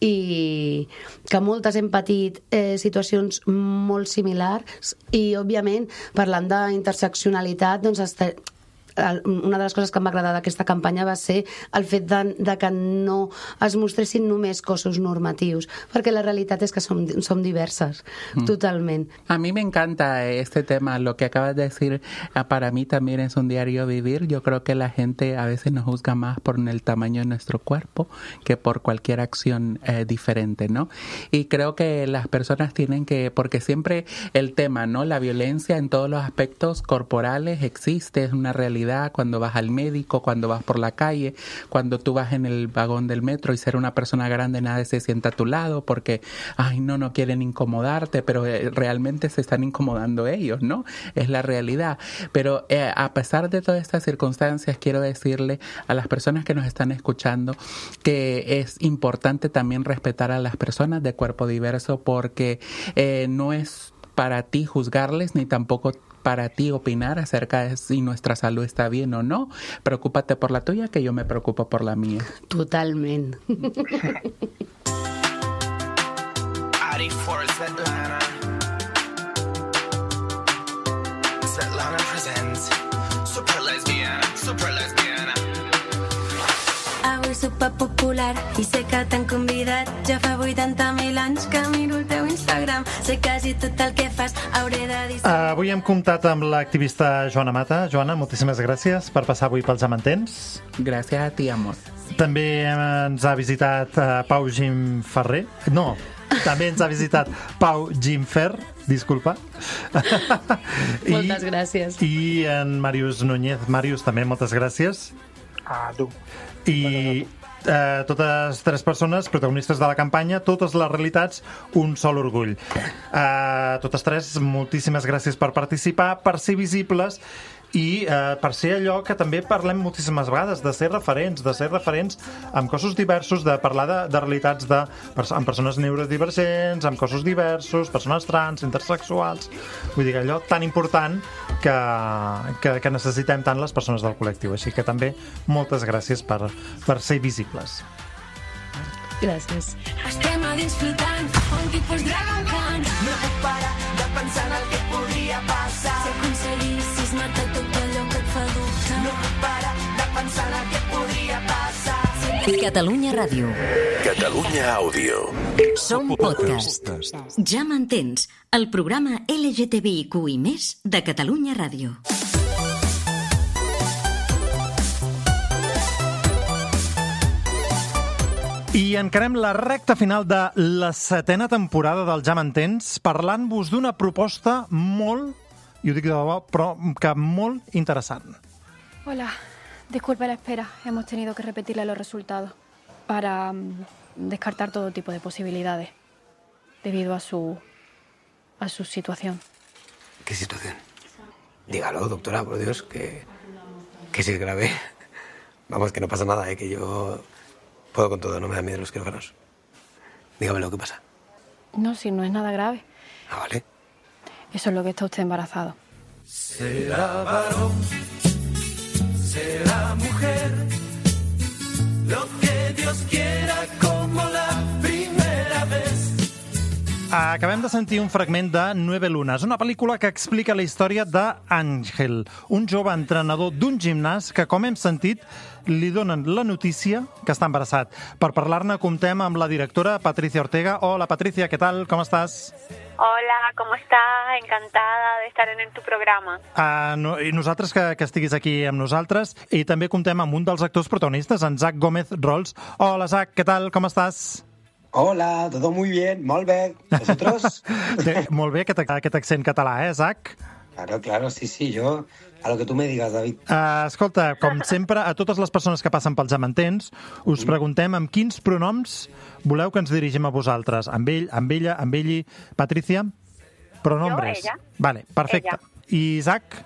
i que moltes hem patit eh, situacions molt similars i, òbviament, parlant d'interseccionalitat, doncs estem... una de les coses que em va agradar d'aquesta campanya va ser el fet de, de que no es mostressin només cossos normatius, perquè la realitat és que som, som diverses, mm. totalment. A mí me encanta este tema, lo que acabas de decir, para mí también es un diario vivir. Yo creo que la gente a veces nos juzga más por el tamaño de nuestro cuerpo que por cualquier acción eh, diferente, ¿no? Y creo que las personas tienen que, porque siempre el tema, ¿no?, la violencia en todos los aspectos corporales existe, es una realidad. Cuando vas al médico, cuando vas por la calle, cuando tú vas en el vagón del metro y ser una persona grande nadie se sienta a tu lado porque, ay, no, no quieren incomodarte, pero eh, realmente se están incomodando ellos, ¿no? Es la realidad. Pero eh, a pesar de todas estas circunstancias, quiero decirle a las personas que nos están escuchando que es importante también respetar a las personas de cuerpo diverso porque eh, no es para ti juzgarles ni tampoco para ti opinar acerca de si nuestra salud está bien o no. Preocúpate por la tuya, que yo me preocupo por la mía. Totalment. Ari for Svetlana. Svetlana presents Super Lesbiana, Super Lesbiana. Avui superpopular i sé que t'han convidat. Ja fa vuitanta mil anys que miro el teu Instagram. Sé quasi tot el que fas, hauré de dir... Uh, avui hem comptat amb l'activista Joana Mata. Joana, moltíssimes gràcies per passar avui pels Jamantens. Gràcies a ti, amor. També ens ha visitat uh, Pau Gim Ferrer. No, també ens ha visitat Pau Gimfer, disculpa. Moltes gràcies. I en Màrius Núñez. Màrius, també moltes gràcies. A tu. I eh, totes tres persones protagonistes de la campanya, totes les realitats, un sol orgull. Eh, totes tres, moltíssimes gràcies per participar, per ser visibles i eh, per ser allò que també parlem moltíssimes vegades, de ser referents, de ser referents amb cossos diversos, de parlar de, de realitats de, amb persones neurodivergents, amb cossos diversos, persones trans, intersexuals, vull dir, allò tan important que, que, que necessitem tant les persones del col·lectiu. Així que també moltes gràcies per, per ser visibles. Gràcies. Estem a dins flotant, un tipus Dragon Khan. No puc parar de pensar en el que podria passar. Si aconseguissis matar tot allò que et fa dubtar. No puc parar de pensar en el que podria passar. Catalunya Ràdio. Catalunya Àudio. Som podcast. Ja m'entens, el programa L G T B I Q i més de Catalunya Ràdio. I encarem la recta final de la setena temporada del Ja m'entens parlant-vos d'una proposta molt, i ho dic de debò, però que molt interessant. Hola, disculpe la espera. Hemos tenido que repetirle los resultados para um, descartar todo tipo de posibilidades debido a su a su situación. ¿Qué situación? Dígalo, doctora, por Dios, que, que si es grave. Vamos, que no pasa nada, ¿eh? Que yo puedo con todo, no me da miedo los quirófanos. Dígame lo que pasa. No, si no es nada grave. Ah, vale. Eso es lo que está usted embarazado. Será varón, será mujer, lo que Dios quiera como la Acabem de sentir un fragment de Nueve Lunas, una pel·lícula que explica la història d'Àngel, un jove entrenador d'un gimnàs que, com hem sentit, li donen la notícia que està embarassat. Per parlar-ne, comptem amb la directora Patricia Ortega. Hola, Patricia, ¿qué tal? ¿Cómo estás? Hola, ¿cómo estás? Encantada de estar en tu programa. Uh, no, I nosaltres que, que estiguis aquí amb nosaltres. I també comptem amb un dels actors protagonistes, en Zach Gómez Rols. Hola, Zach, ¿qué tal? ¿Cómo estás? Hola, todo muy bien, molt bé. ¿Vosotros? Molt bé, aquest, aquest accent català, eh, Zach? Claro, claro, sí, sí, yo... A lo que tu me digas, David. Uh, escolta, com sempre, a totes les persones que passen pels Jamantens, us mm. preguntem amb quins pronoms voleu que ens dirigim a vosaltres. Amb ell, amb ella, amb elli. Patricia? Pronombres. Jo, ella. Vale, perfecte. Ella. I Isaac?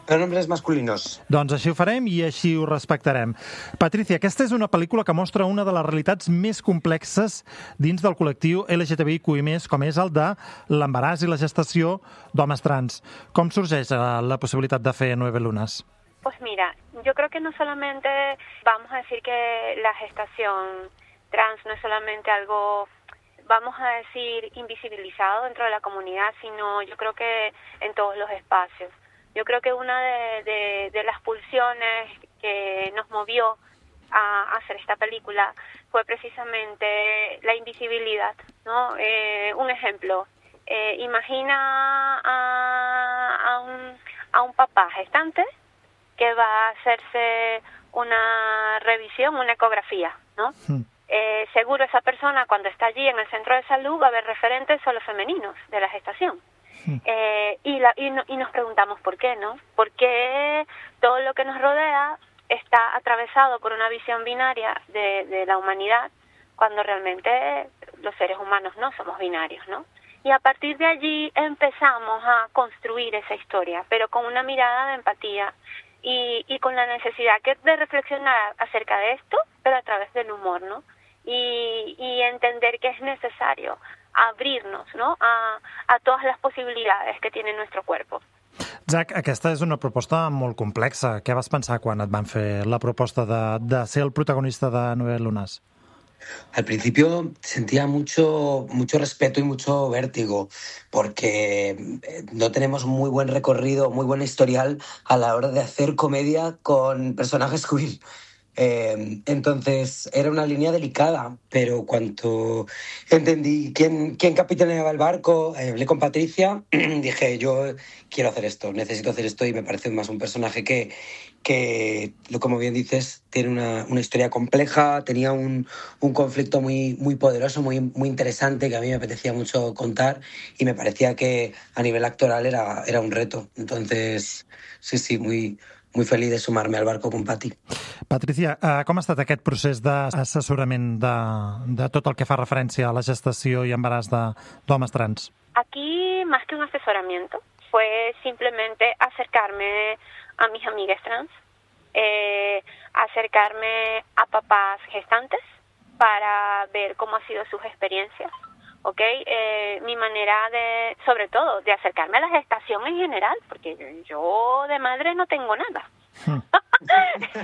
Pronombres masculinos. Doncs així ho farem i així ho respectarem. Patricia, aquesta és una pel·lícula que mostra una de les realitats més complexes dins del col·lectiu L G T B I Q I més, com és el de l'embaràs i la gestació d'homes trans. Com sorgeix la posibilitat de fer Nueve Lunas? Pues mira, yo creo que no solamente vamos a decir que la gestación trans no es solamente algo, vamos a decir, invisibilizado dentro de la comunidad, sino yo creo que en todos los espacios. Yo creo que una de, de, de las pulsiones que nos movió a hacer esta película fue precisamente la invisibilidad, ¿no? Eh, un ejemplo, eh, imagina a, a, un, a un papá gestante que va a hacerse una revisión, una ecografía, ¿no? Mm. Eh, seguro esa persona cuando está allí en el centro de salud va a ver referentes solo femeninos de la gestación. Eh, y, la, y, no, y nos preguntamos por qué, ¿no? ¿Por qué todo lo que nos rodea está atravesado por una visión binaria de, de la humanidad cuando realmente los seres humanos no somos binarios, ¿no? Y a partir de allí empezamos a construir esa historia, pero con una mirada de empatía y, y con la necesidad que de reflexionar acerca de esto, pero a través del humor, ¿no? Y, y entender que es necesario abrir-nos, no? a, a totes les possibilitats que tiene nuestro cuerpo. Zach, aquesta és una proposta molt complexa. Què vas pensar quan et van fer la proposta de, de ser el protagonista de Nueve Lunas? Al principio sentía mucho, mucho respeto y mucho vértigo, porque no tenemos muy buen recorrido, muy buen historial a la hora de hacer comedia con personajes queer. Eh, entonces era una línea delicada, pero cuando entendí quién, quién capitaneaba el barco, eh, hablé con Patricia, dije, yo quiero hacer esto, necesito hacer esto, y me parece más un personaje que, que como bien dices, tiene una, una historia compleja, tenía un, un conflicto muy, muy poderoso, muy, muy interesante, que a mí me apetecía mucho contar, y me parecía que a nivel actoral era, era un reto. Entonces, sí, sí, muy... muy feliç de sumar-me al barco con Pati. Patricia, com ha estat aquest procés d'assessorament de, de tot el que fa referència a la gestació i embaràs d'homes trans? Aquí, más que un asesoramiento, fue simplemente acercarme a mis amigas trans, eh, acercarme a papás gestantes para ver cómo han sido sus experiencias. ¿Ok? Eh, mi manera de, sobre todo, de acercarme a la gestación en general, porque yo de madre no tengo nada.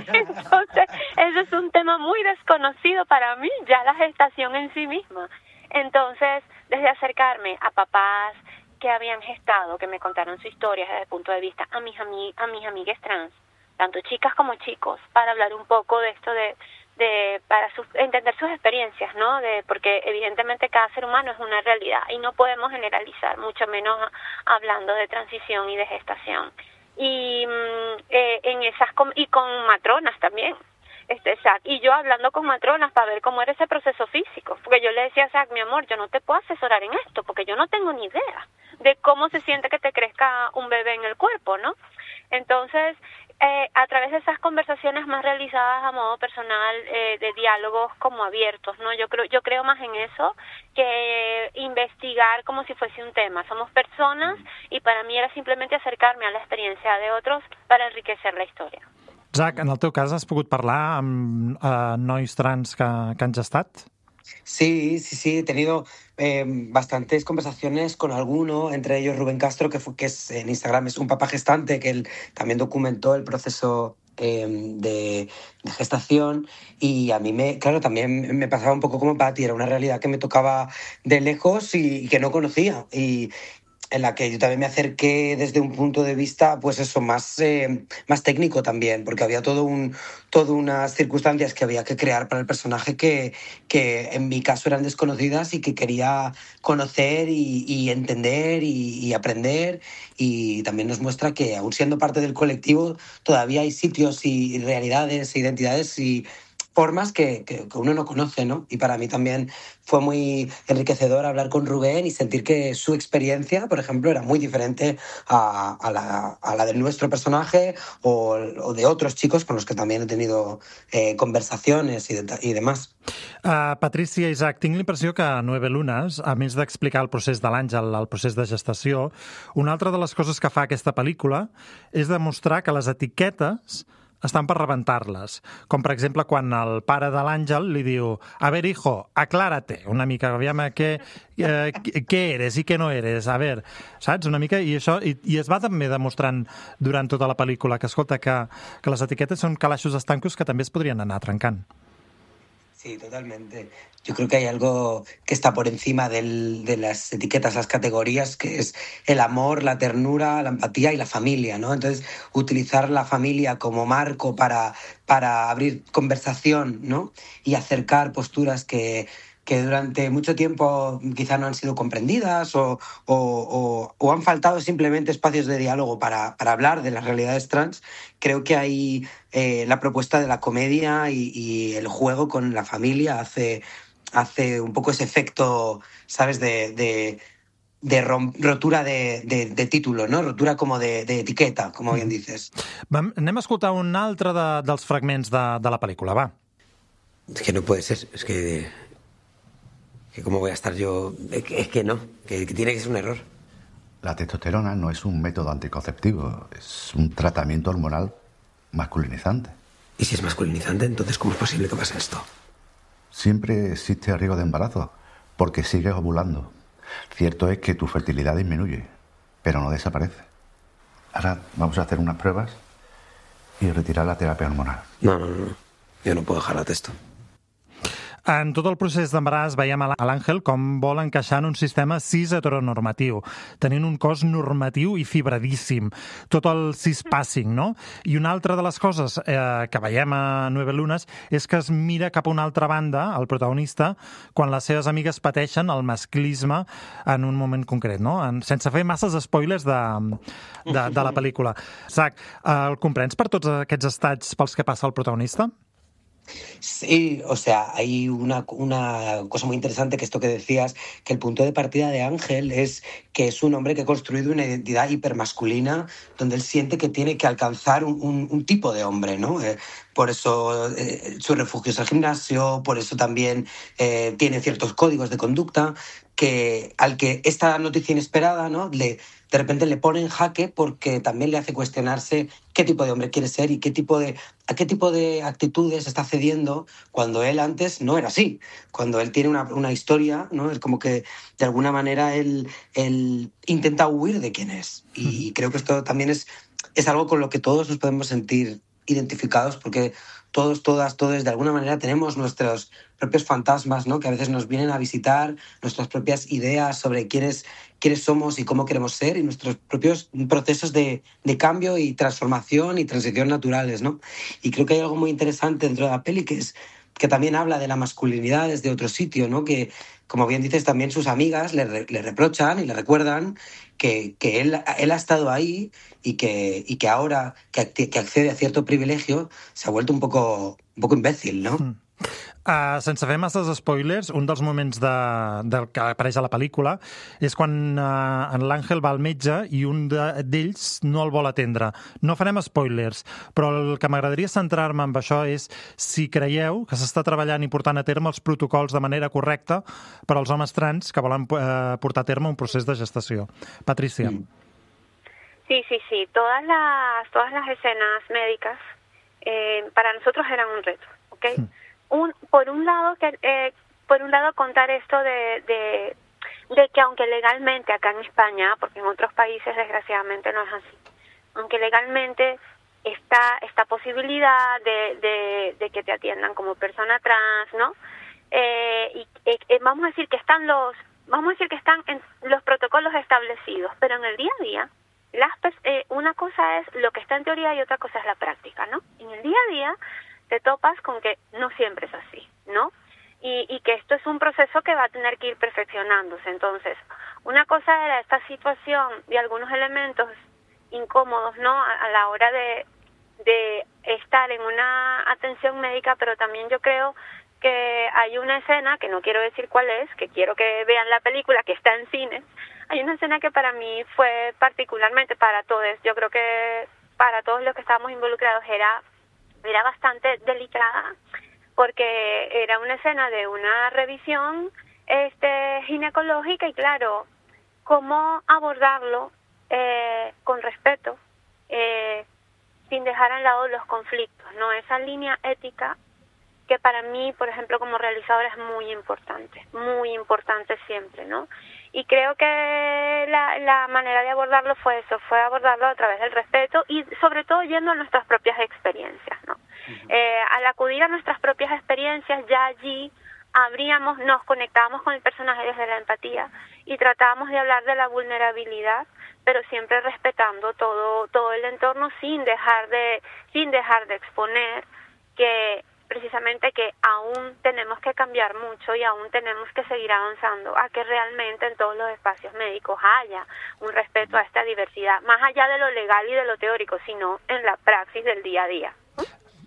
Entonces, eso es un tema muy desconocido para mí, ya la gestación en sí misma. Entonces, desde acercarme a papás que habían gestado, que me contaron su historia desde el punto de vista a mis, ami a mis amigas trans, tanto chicas como chicos, para hablar un poco de esto de... de para su, entender sus experiencias, ¿no? De, porque evidentemente cada ser humano es una realidad y no podemos generalizar, mucho menos hablando de transición y de gestación. Y eh, en esas y con matronas también. Este, Zach, y yo hablando con matronas para ver cómo era ese proceso físico, porque yo le decía a Zach, mi amor, yo no te puedo asesorar en esto, porque yo no tengo ni idea de cómo se siente que te crezca un bebé en el cuerpo, ¿no? Entonces, eh, a través de esas conversaciones más realizadas a modo personal, eh, de diálogos como abiertos, ¿no? Yo creo, yo creo más en eso que investigar como si fuese un tema. Somos personas y para mí era simplemente acercarme a la experiencia de otros para enriquecer la historia. Zach, en el teu cas has pogut parlar amb eh, nois trans que, que han gestat? Sí, sí, sí, he tenido eh, bastantes conversaciones con alguno, entre ellos Rubén Castro, que, fue, que es en Instagram es un papá gestante, que él también documentó el proceso eh, de, de gestación, y a mí, me claro, también me pasaba un poco como Patty, era una realidad que me tocaba de lejos y, y que no conocía, y en la que yo también me acerqué desde un punto de vista, pues eso, más, eh, más técnico también, porque había todo un, todo unas circunstancias que había que crear para el personaje que, que en mi caso eran desconocidas y que quería conocer y, y entender y, y aprender, y también nos muestra que, aún siendo parte del colectivo, todavía hay sitios y realidades, identidades y formas que, que, que uno no conoce, ¿no? Y para mí también fue muy enriquecedor hablar con Rubén y sentir que su experiencia, por ejemplo, era muy diferente a, a, la, a la de nuestro personaje o, o de otros chicos con los que también he tenido eh, conversaciones y, de, y demás. Uh, Patrícia, Isaac, tinc l'impressió que a Nueve Lunes, a més d'explicar el procés de l'Àngel, el procés de gestació, una altra de les coses que fa aquesta pel·lícula és demostrar que les etiquetes estan per rebentar-les. Com, per exemple, quan el pare de l'Àngel li diu a ver, hijo, aclárate, una mica, aviam, què, eh, què eres i què no eres, a ver, saps? Una mica, i això, i, i es va també demostrant durant tota la pel·lícula que, escolta, que, que les etiquetes són calaixos estancos que també es podrien anar trencant. Sí, totalmente. Yo creo que hay algo que está por encima del, de las etiquetas, las categorías, que es el amor, la ternura, la empatía y la familia, ¿no? Entonces, utilizar la familia como marco para, para abrir conversación, ¿no? Y acercar posturas que, que durante mucho tiempo quizá no han sido comprendidas o, o, o, o han faltado simplemente espacios de diálogo para, para hablar de las realidades trans. Creo que ahí eh, la propuesta de la comedia y, y el juego con la familia hace, hace un poco ese efecto, ¿sabes?, de, de, de rom, rotura de, de, de título, ¿no? Rotura como de, de etiqueta, como bien dices. Vam, anem a escoltar un altre de, dels fragments de, de la pel·lícula, va. Es que no puede ser, es que... que ¿Cómo voy a estar yo? Es que, es que no, que, que tiene que ser un error. La testosterona no es un método anticonceptivo, es un tratamiento hormonal masculinizante. ¿Y si es masculinizante, entonces cómo es posible que pase esto? Siempre existe riesgo de embarazo, porque sigues ovulando. Cierto es que tu fertilidad disminuye, pero no desaparece. Ahora vamos a hacer unas pruebas y retirar la terapia hormonal. No, no, no. Yo no puedo dejar la testo. En tot el procés d'embaràs veiem a l'Àngel com vol encaixar en un sistema cis heteronormatiu, tenint un cos normatiu i fibradíssim, tot el cispassing, no? I una altra de les coses eh, que veiem a Nueve Lunes és que es mira cap a una altra banda, el protagonista, quan les seves amigues pateixen el masclisme en un moment concret, no? En, sense fer masses spoilers de, de, de la pel·lícula. Zach, eh, el comprens per tots aquests estats pels que passa el protagonista? Sí, o sea, hay una, una cosa muy interesante, que esto que decías, que el punto de partida de Ángel es que es un hombre que ha construido una identidad hipermasculina donde él siente que tiene que alcanzar un, un, un tipo de hombre, ¿no? Eh, por eso eh, su refugio es el gimnasio, por eso también eh, tiene ciertos códigos de conducta que al que esta noticia inesperada, ¿no?, le, de repente le pone en jaque, porque también le hace cuestionarse qué tipo de hombre quiere ser y qué tipo de, a qué tipo de actitudes está cediendo cuando él antes no era así. Cuando él tiene una, una historia, ¿no?, es como que de alguna manera él, él intenta huir de quién es. Y creo que esto también es, es algo con lo que todos nos podemos sentir identificados, porque todos, todas, todos de alguna manera tenemos nuestros propios fantasmas, ¿no?, que a veces nos vienen a visitar, nuestras propias ideas sobre quiénes, quiénes somos y cómo queremos ser, y nuestros propios procesos de, de cambio y transformación y transición naturales, ¿no? Y creo que hay algo muy interesante dentro de la peli, que es que también habla de la masculinidad desde otro sitio, ¿no? Que, como bien dices, también sus amigas le, re, le reprochan y le recuerdan que, que él, él ha estado ahí y que, y que ahora que, que accede a cierto privilegio se ha vuelto un poco, un poco imbécil, ¿no? Mm. Uh, sense fer masses spoilers, un dels moments de, de, que apareix a la pel·lícula és quan uh, en l'Àngel va al metge i un d'ells de, no el vol atendre. No farem spoilers, però el que m'agradaria centrar-me en això és si creieu que s'està treballant i portant a terme els protocols de manera correcta per als homes trans que volen uh, portar a terme un procés de gestació. Patrícia. Sí, sí, sí. Todas las, todas las escenas médicas eh, para nosotros eran un reto, ¿ok? Hmm. Un, por un lado que eh, por un lado contar esto de, de de que aunque legalmente acá en España, porque en otros países desgraciadamente no es así, aunque legalmente esta, esta posibilidad de, de, de que te atiendan como persona trans, ¿no? Eh, y eh, vamos a decir que están los, vamos a decir que están en los protocolos establecidos, pero en el día a día, las, eh, una cosa es lo que está en teoría y otra cosa es la práctica, ¿no? En el día a día te topas con que no siempre es así, ¿no? Y, y que esto es un proceso que va a tener que ir perfeccionándose. Entonces, una cosa era esta situación de algunos elementos incómodos, ¿no? A, a la hora de, de estar en una atención médica, pero también yo creo que hay una escena, que no quiero decir cuál es, que quiero que vean la película, que está en cines. Hay una escena que para mí fue particularmente, para todos, yo creo que para todos los que estábamos involucrados era, era bastante delicada, porque era una escena de una revisión este, ginecológica y claro, cómo abordarlo eh, con respeto, eh, sin dejar a un lado los conflictos, ¿no? Esa línea ética que para mí, por ejemplo, como realizadora es muy importante, muy importante siempre, ¿no? Y creo que la, la manera de abordarlo fue eso, fue abordarlo a través del respeto y sobre todo yendo a nuestras propias experiencias, ¿no? Uh-huh. Eh, al acudir a nuestras propias experiencias, ya allí abríamos, nos conectábamos con el personaje desde la empatía y tratábamos de hablar de la vulnerabilidad, pero siempre respetando todo todo el entorno sin dejar de sin dejar de exponer que precisamente que aún tenemos que cambiar mucho y aún tenemos que seguir avanzando a que realmente en todos los espacios médicos haya un respeto a esta diversidad, más allá de lo legal y de lo teórico, sino en la praxis del día a día.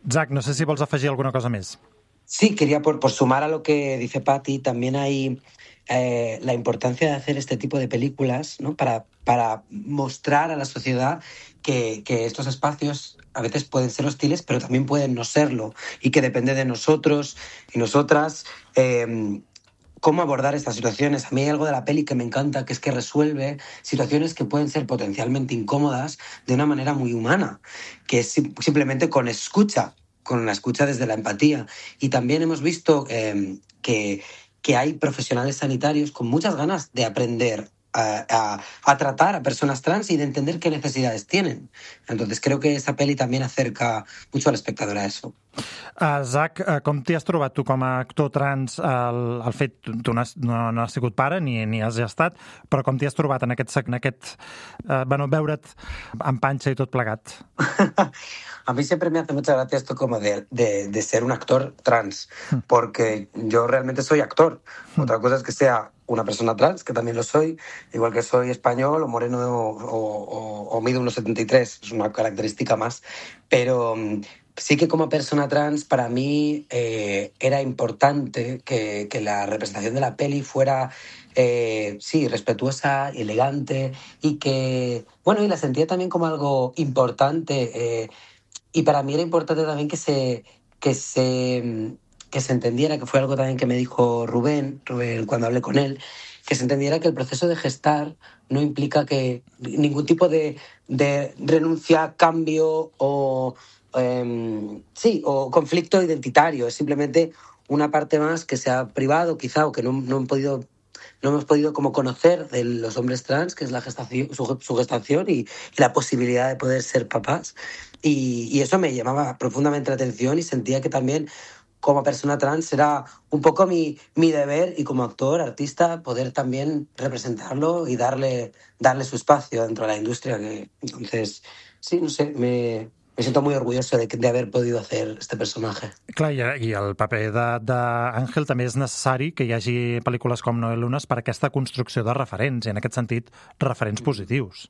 Zach, no sé si vols afegir alguna cosa més. Sí, quería por, por sumar a lo que dice Patti, también hay eh, la importancia de hacer este tipo de películas, ¿no? para, para mostrar a la sociedad que, que estos espacios a veces pueden ser hostiles, pero también pueden no serlo, y que depende de nosotros y nosotras eh, cómo abordar estas situaciones. A mí hay algo de la peli que me encanta, que es que resuelve situaciones que pueden ser potencialmente incómodas de una manera muy humana, que es simplemente con escucha, con la escucha desde la empatía. Y también hemos visto eh, que, que hay profesionales sanitarios con muchas ganas de aprender A, a, a tratar a personas trans y de entender qué necesidades tienen. Entonces creo que esta peli también acerca mucho al espectador a eso. Uh, Zach, uh, com t'hi has trobat tu com a actor trans? El, el fet, tu no has, no, no has sigut pare ni, ni has estat, però com t'hi has trobat en aquest, en aquest uh, bueno, veure't amb panxa i tot plegat? A mí siempre me hace mucha gracia esto como de, de, de ser un actor trans, porque yo realmente soy actor. Otra cosa es que sea una persona trans, que también lo soy, igual que soy español o moreno o, o, o mido uno setenta y tres, es una característica más. Pero sí que como persona trans para mí eh, era importante que, que la representación de la peli fuera eh, sí, respetuosa, elegante y que, bueno, y la sentía también como algo importante eh, y para mí era importante también que se, que se, que se entendiera, que fue algo también que me dijo Rubén, Rubén cuando hablé con él, que se entendiera que el proceso de gestar no implica que ningún tipo de, de renuncia, cambio o eh, sí, o conflicto identitario, es simplemente una parte más que se ha privado quizá o que no, no han podido no hemos podido como conocer de los hombres trans, que es la gestación, su, su gestación y, y la posibilidad de poder ser papás. Y, y eso me llamaba profundamente la atención y sentía que también como persona trans era un poco mi, mi deber y como actor, artista, poder también representarlo y darle, darle su espacio dentro de la industria. Que, entonces, sí, no sé, me... Me siento muy orgulloso de, de haver podido hacer este personatge. Clar, i, i el paper d'Àngel també és necessari que hi hagi pel·lícules com Noel Lunes per aquesta construcció de referents, i en aquest sentit, referents positius.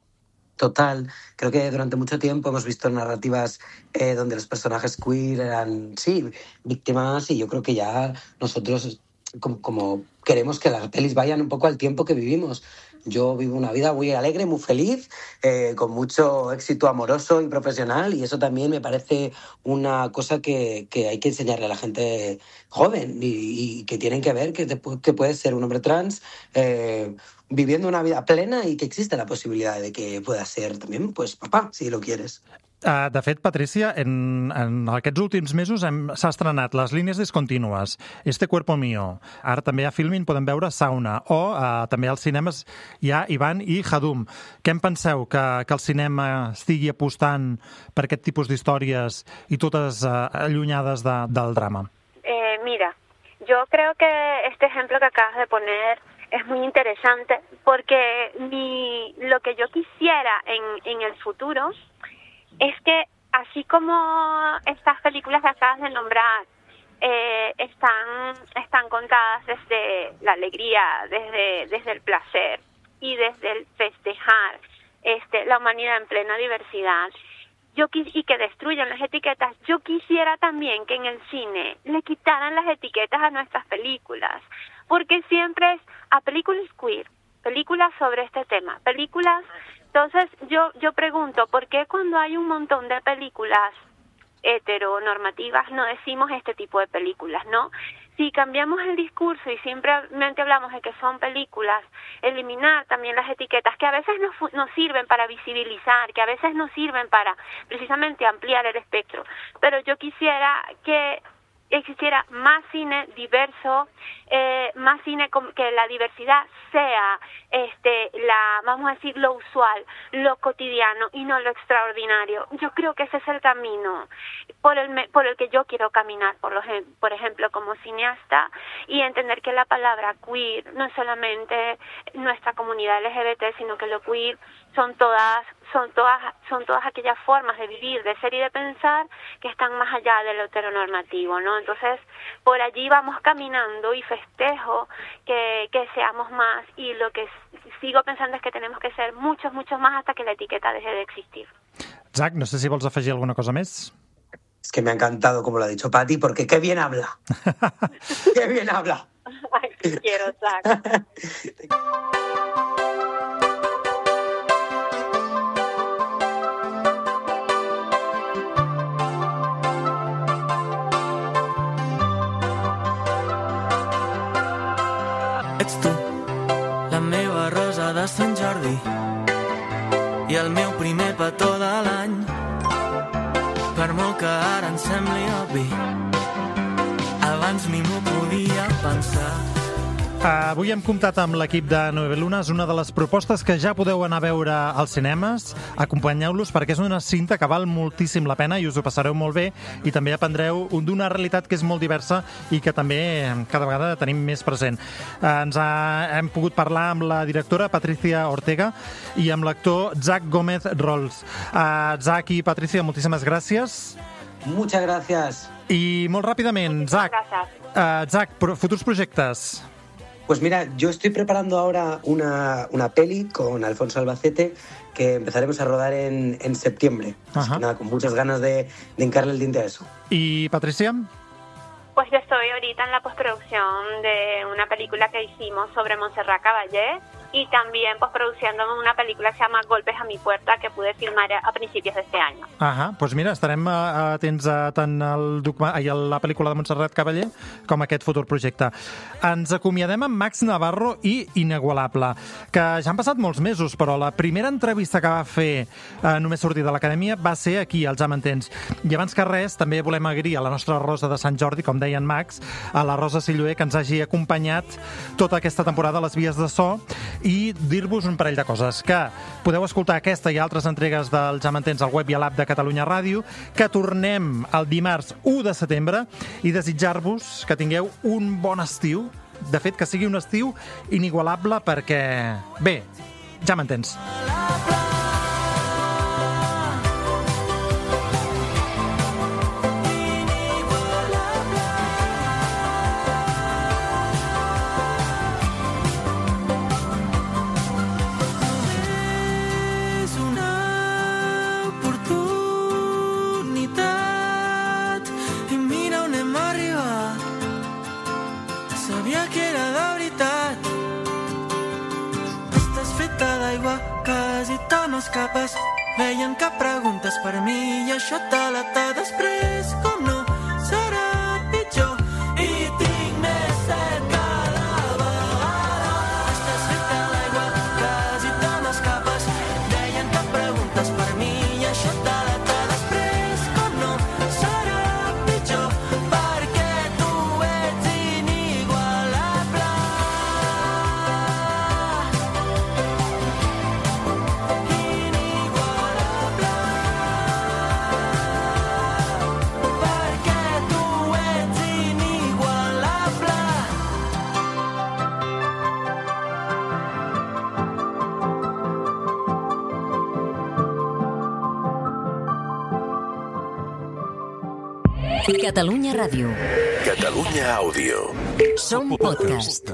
Total. Creo que durante mucho tiempo hemos visto narrativas eh, donde los personajes queer eran, sí, víctimas, y yo creo que ya nosotros como, como queremos que las pelis vayan un poco al tiempo que vivimos. Yo vivo una vida muy alegre, muy feliz, eh, con mucho éxito amoroso y profesional, y eso también me parece una cosa que, que hay que enseñarle a la gente joven y, y que tienen que ver que, te, que puedes ser un hombre trans eh, viviendo una vida plena y que existe la posibilidad de que puedas ser también pues papá, si lo quieres. Uh, de fet, Patricia, en, en aquests últims mesos s'ha estrenat Les línies discontínues, Este cuerpo mío. Ara també a Filmin podem veure Sauna, o uh, també als cinemes hi ha Ivan i Hadum. Què en penseu? Que, que el cinema estigui apostant per aquest tipus d'històries i totes uh, allunyades de, del drama? Eh, mira, yo creo que este ejemplo que acabas de poner es muy interesante porque mi, lo que yo quisiera en, en el futuro es que así como estas películas que acabas de nombrar eh, están, están contadas desde la alegría, desde, desde el placer y desde el festejar este, la humanidad en plena diversidad, yo quis- y que destruyan las etiquetas, yo quisiera también que en el cine le quitaran las etiquetas a nuestras películas, porque siempre es a películas queer, películas sobre este tema, películas. Entonces yo yo pregunto, ¿por qué cuando hay un montón de películas heteronormativas no decimos este tipo de películas, no? Si cambiamos el discurso y simplemente hablamos de que son películas, eliminar también las etiquetas que a veces nos, fu- nos sirven para visibilizar, que a veces nos sirven para precisamente ampliar el espectro, pero yo quisiera que existiera más cine diverso, eh, más cine con, que la diversidad sea este la vamos a decir lo usual, lo cotidiano y no lo extraordinario. Yo creo que ese es el camino por el me, por el que yo quiero caminar, por lo por ejemplo como cineasta, y entender que la palabra queer no es solamente nuestra comunidad L G B T, sino que lo queer son todas son todas son todas aquellas formas de vivir, de ser y de pensar que están más allá de lo heteronormativo, ¿no? Entonces, por allí vamos caminando y festejo que, que seamos más, y lo que sigo pensando es que tenemos que ser muchos, muchos más hasta que la etiqueta deje de existir. Zach, no sé si vols afegir alguna cosa més. Es que me ha encantado como lo ha dicho Pati, porque qué bien habla. Qué bien habla. Ay, te quiero, Zach. Ets tu, la meva rosa de Sant Jordi i el meu primer petó de l'any. Per molt que ara em sembli obvi, abans ni m'ho podia pensar. Avui hem comptat amb l'equip de Nueve Lunas, una de les propostes que ja podeu anar a veure als cinemes. Acompanyeu-los perquè és una cinta que val moltíssim la pena i us ho passareu molt bé, i també aprendreu d'una realitat que és molt diversa i que també cada vegada tenim més present. Ens ha, hem pogut parlar amb la directora Patricia Ortega i amb l'actor Zach Gómez Rolls. Uh, Zach i Patricia, moltíssimes gràcies. Muchas gracias. I molt ràpidament, Zach, uh, Zach, pro- futurs projectes. Pues mira, yo estoy preparando ahora una, una peli con Alfonso Albacete que empezaremos a rodar en, en septiembre. Así que nada, con muchas ganas de, de hincarle el diente a eso. ¿Y Patricia? Pues yo estoy ahorita en la postproducción de una película que hicimos sobre Montserrat Caballé, y también postproduciendo una película que se llama Golpes a mi puerta, que pude filmar a principios de este año. Ah, doncs mira, estarem uh, atents a tant el documa- ai, a la pel·lícula de Montserrat Caballé com a aquest futur projecte. Ens acomiadem amb Max Navarro i Inigualable, que ja han passat molts mesos, però la primera entrevista que va fer uh, només sortir de l'acadèmia va ser aquí, al Ja m'entens. I abans que res, també volem agrair a la nostra Rosa de Sant Jordi, com deia en Max, a la Rosa Silloé, que ens hagi acompanyat tota aquesta temporada a les vies de so, i dir-vos un parell de coses, que podeu escoltar aquesta i altres entregues del Ja m'entens al web i a l'app de Catalunya Ràdio, que tornem el dimarts u de setembre, i desitjar-vos que tingueu un bon estiu, de fet que sigui un estiu inigualable, perquè, bé, ja m'entens. Capes, veien que preguntes per mi i això te la ta després, com no serà pitjor, i tinc més set cada vegada. Estàs feta d'aigua, quasi te m'escapes, deien que preguntes per mi i això te la ta després. Catalunya Ràdio. Catalunya Àudio. Som podcast.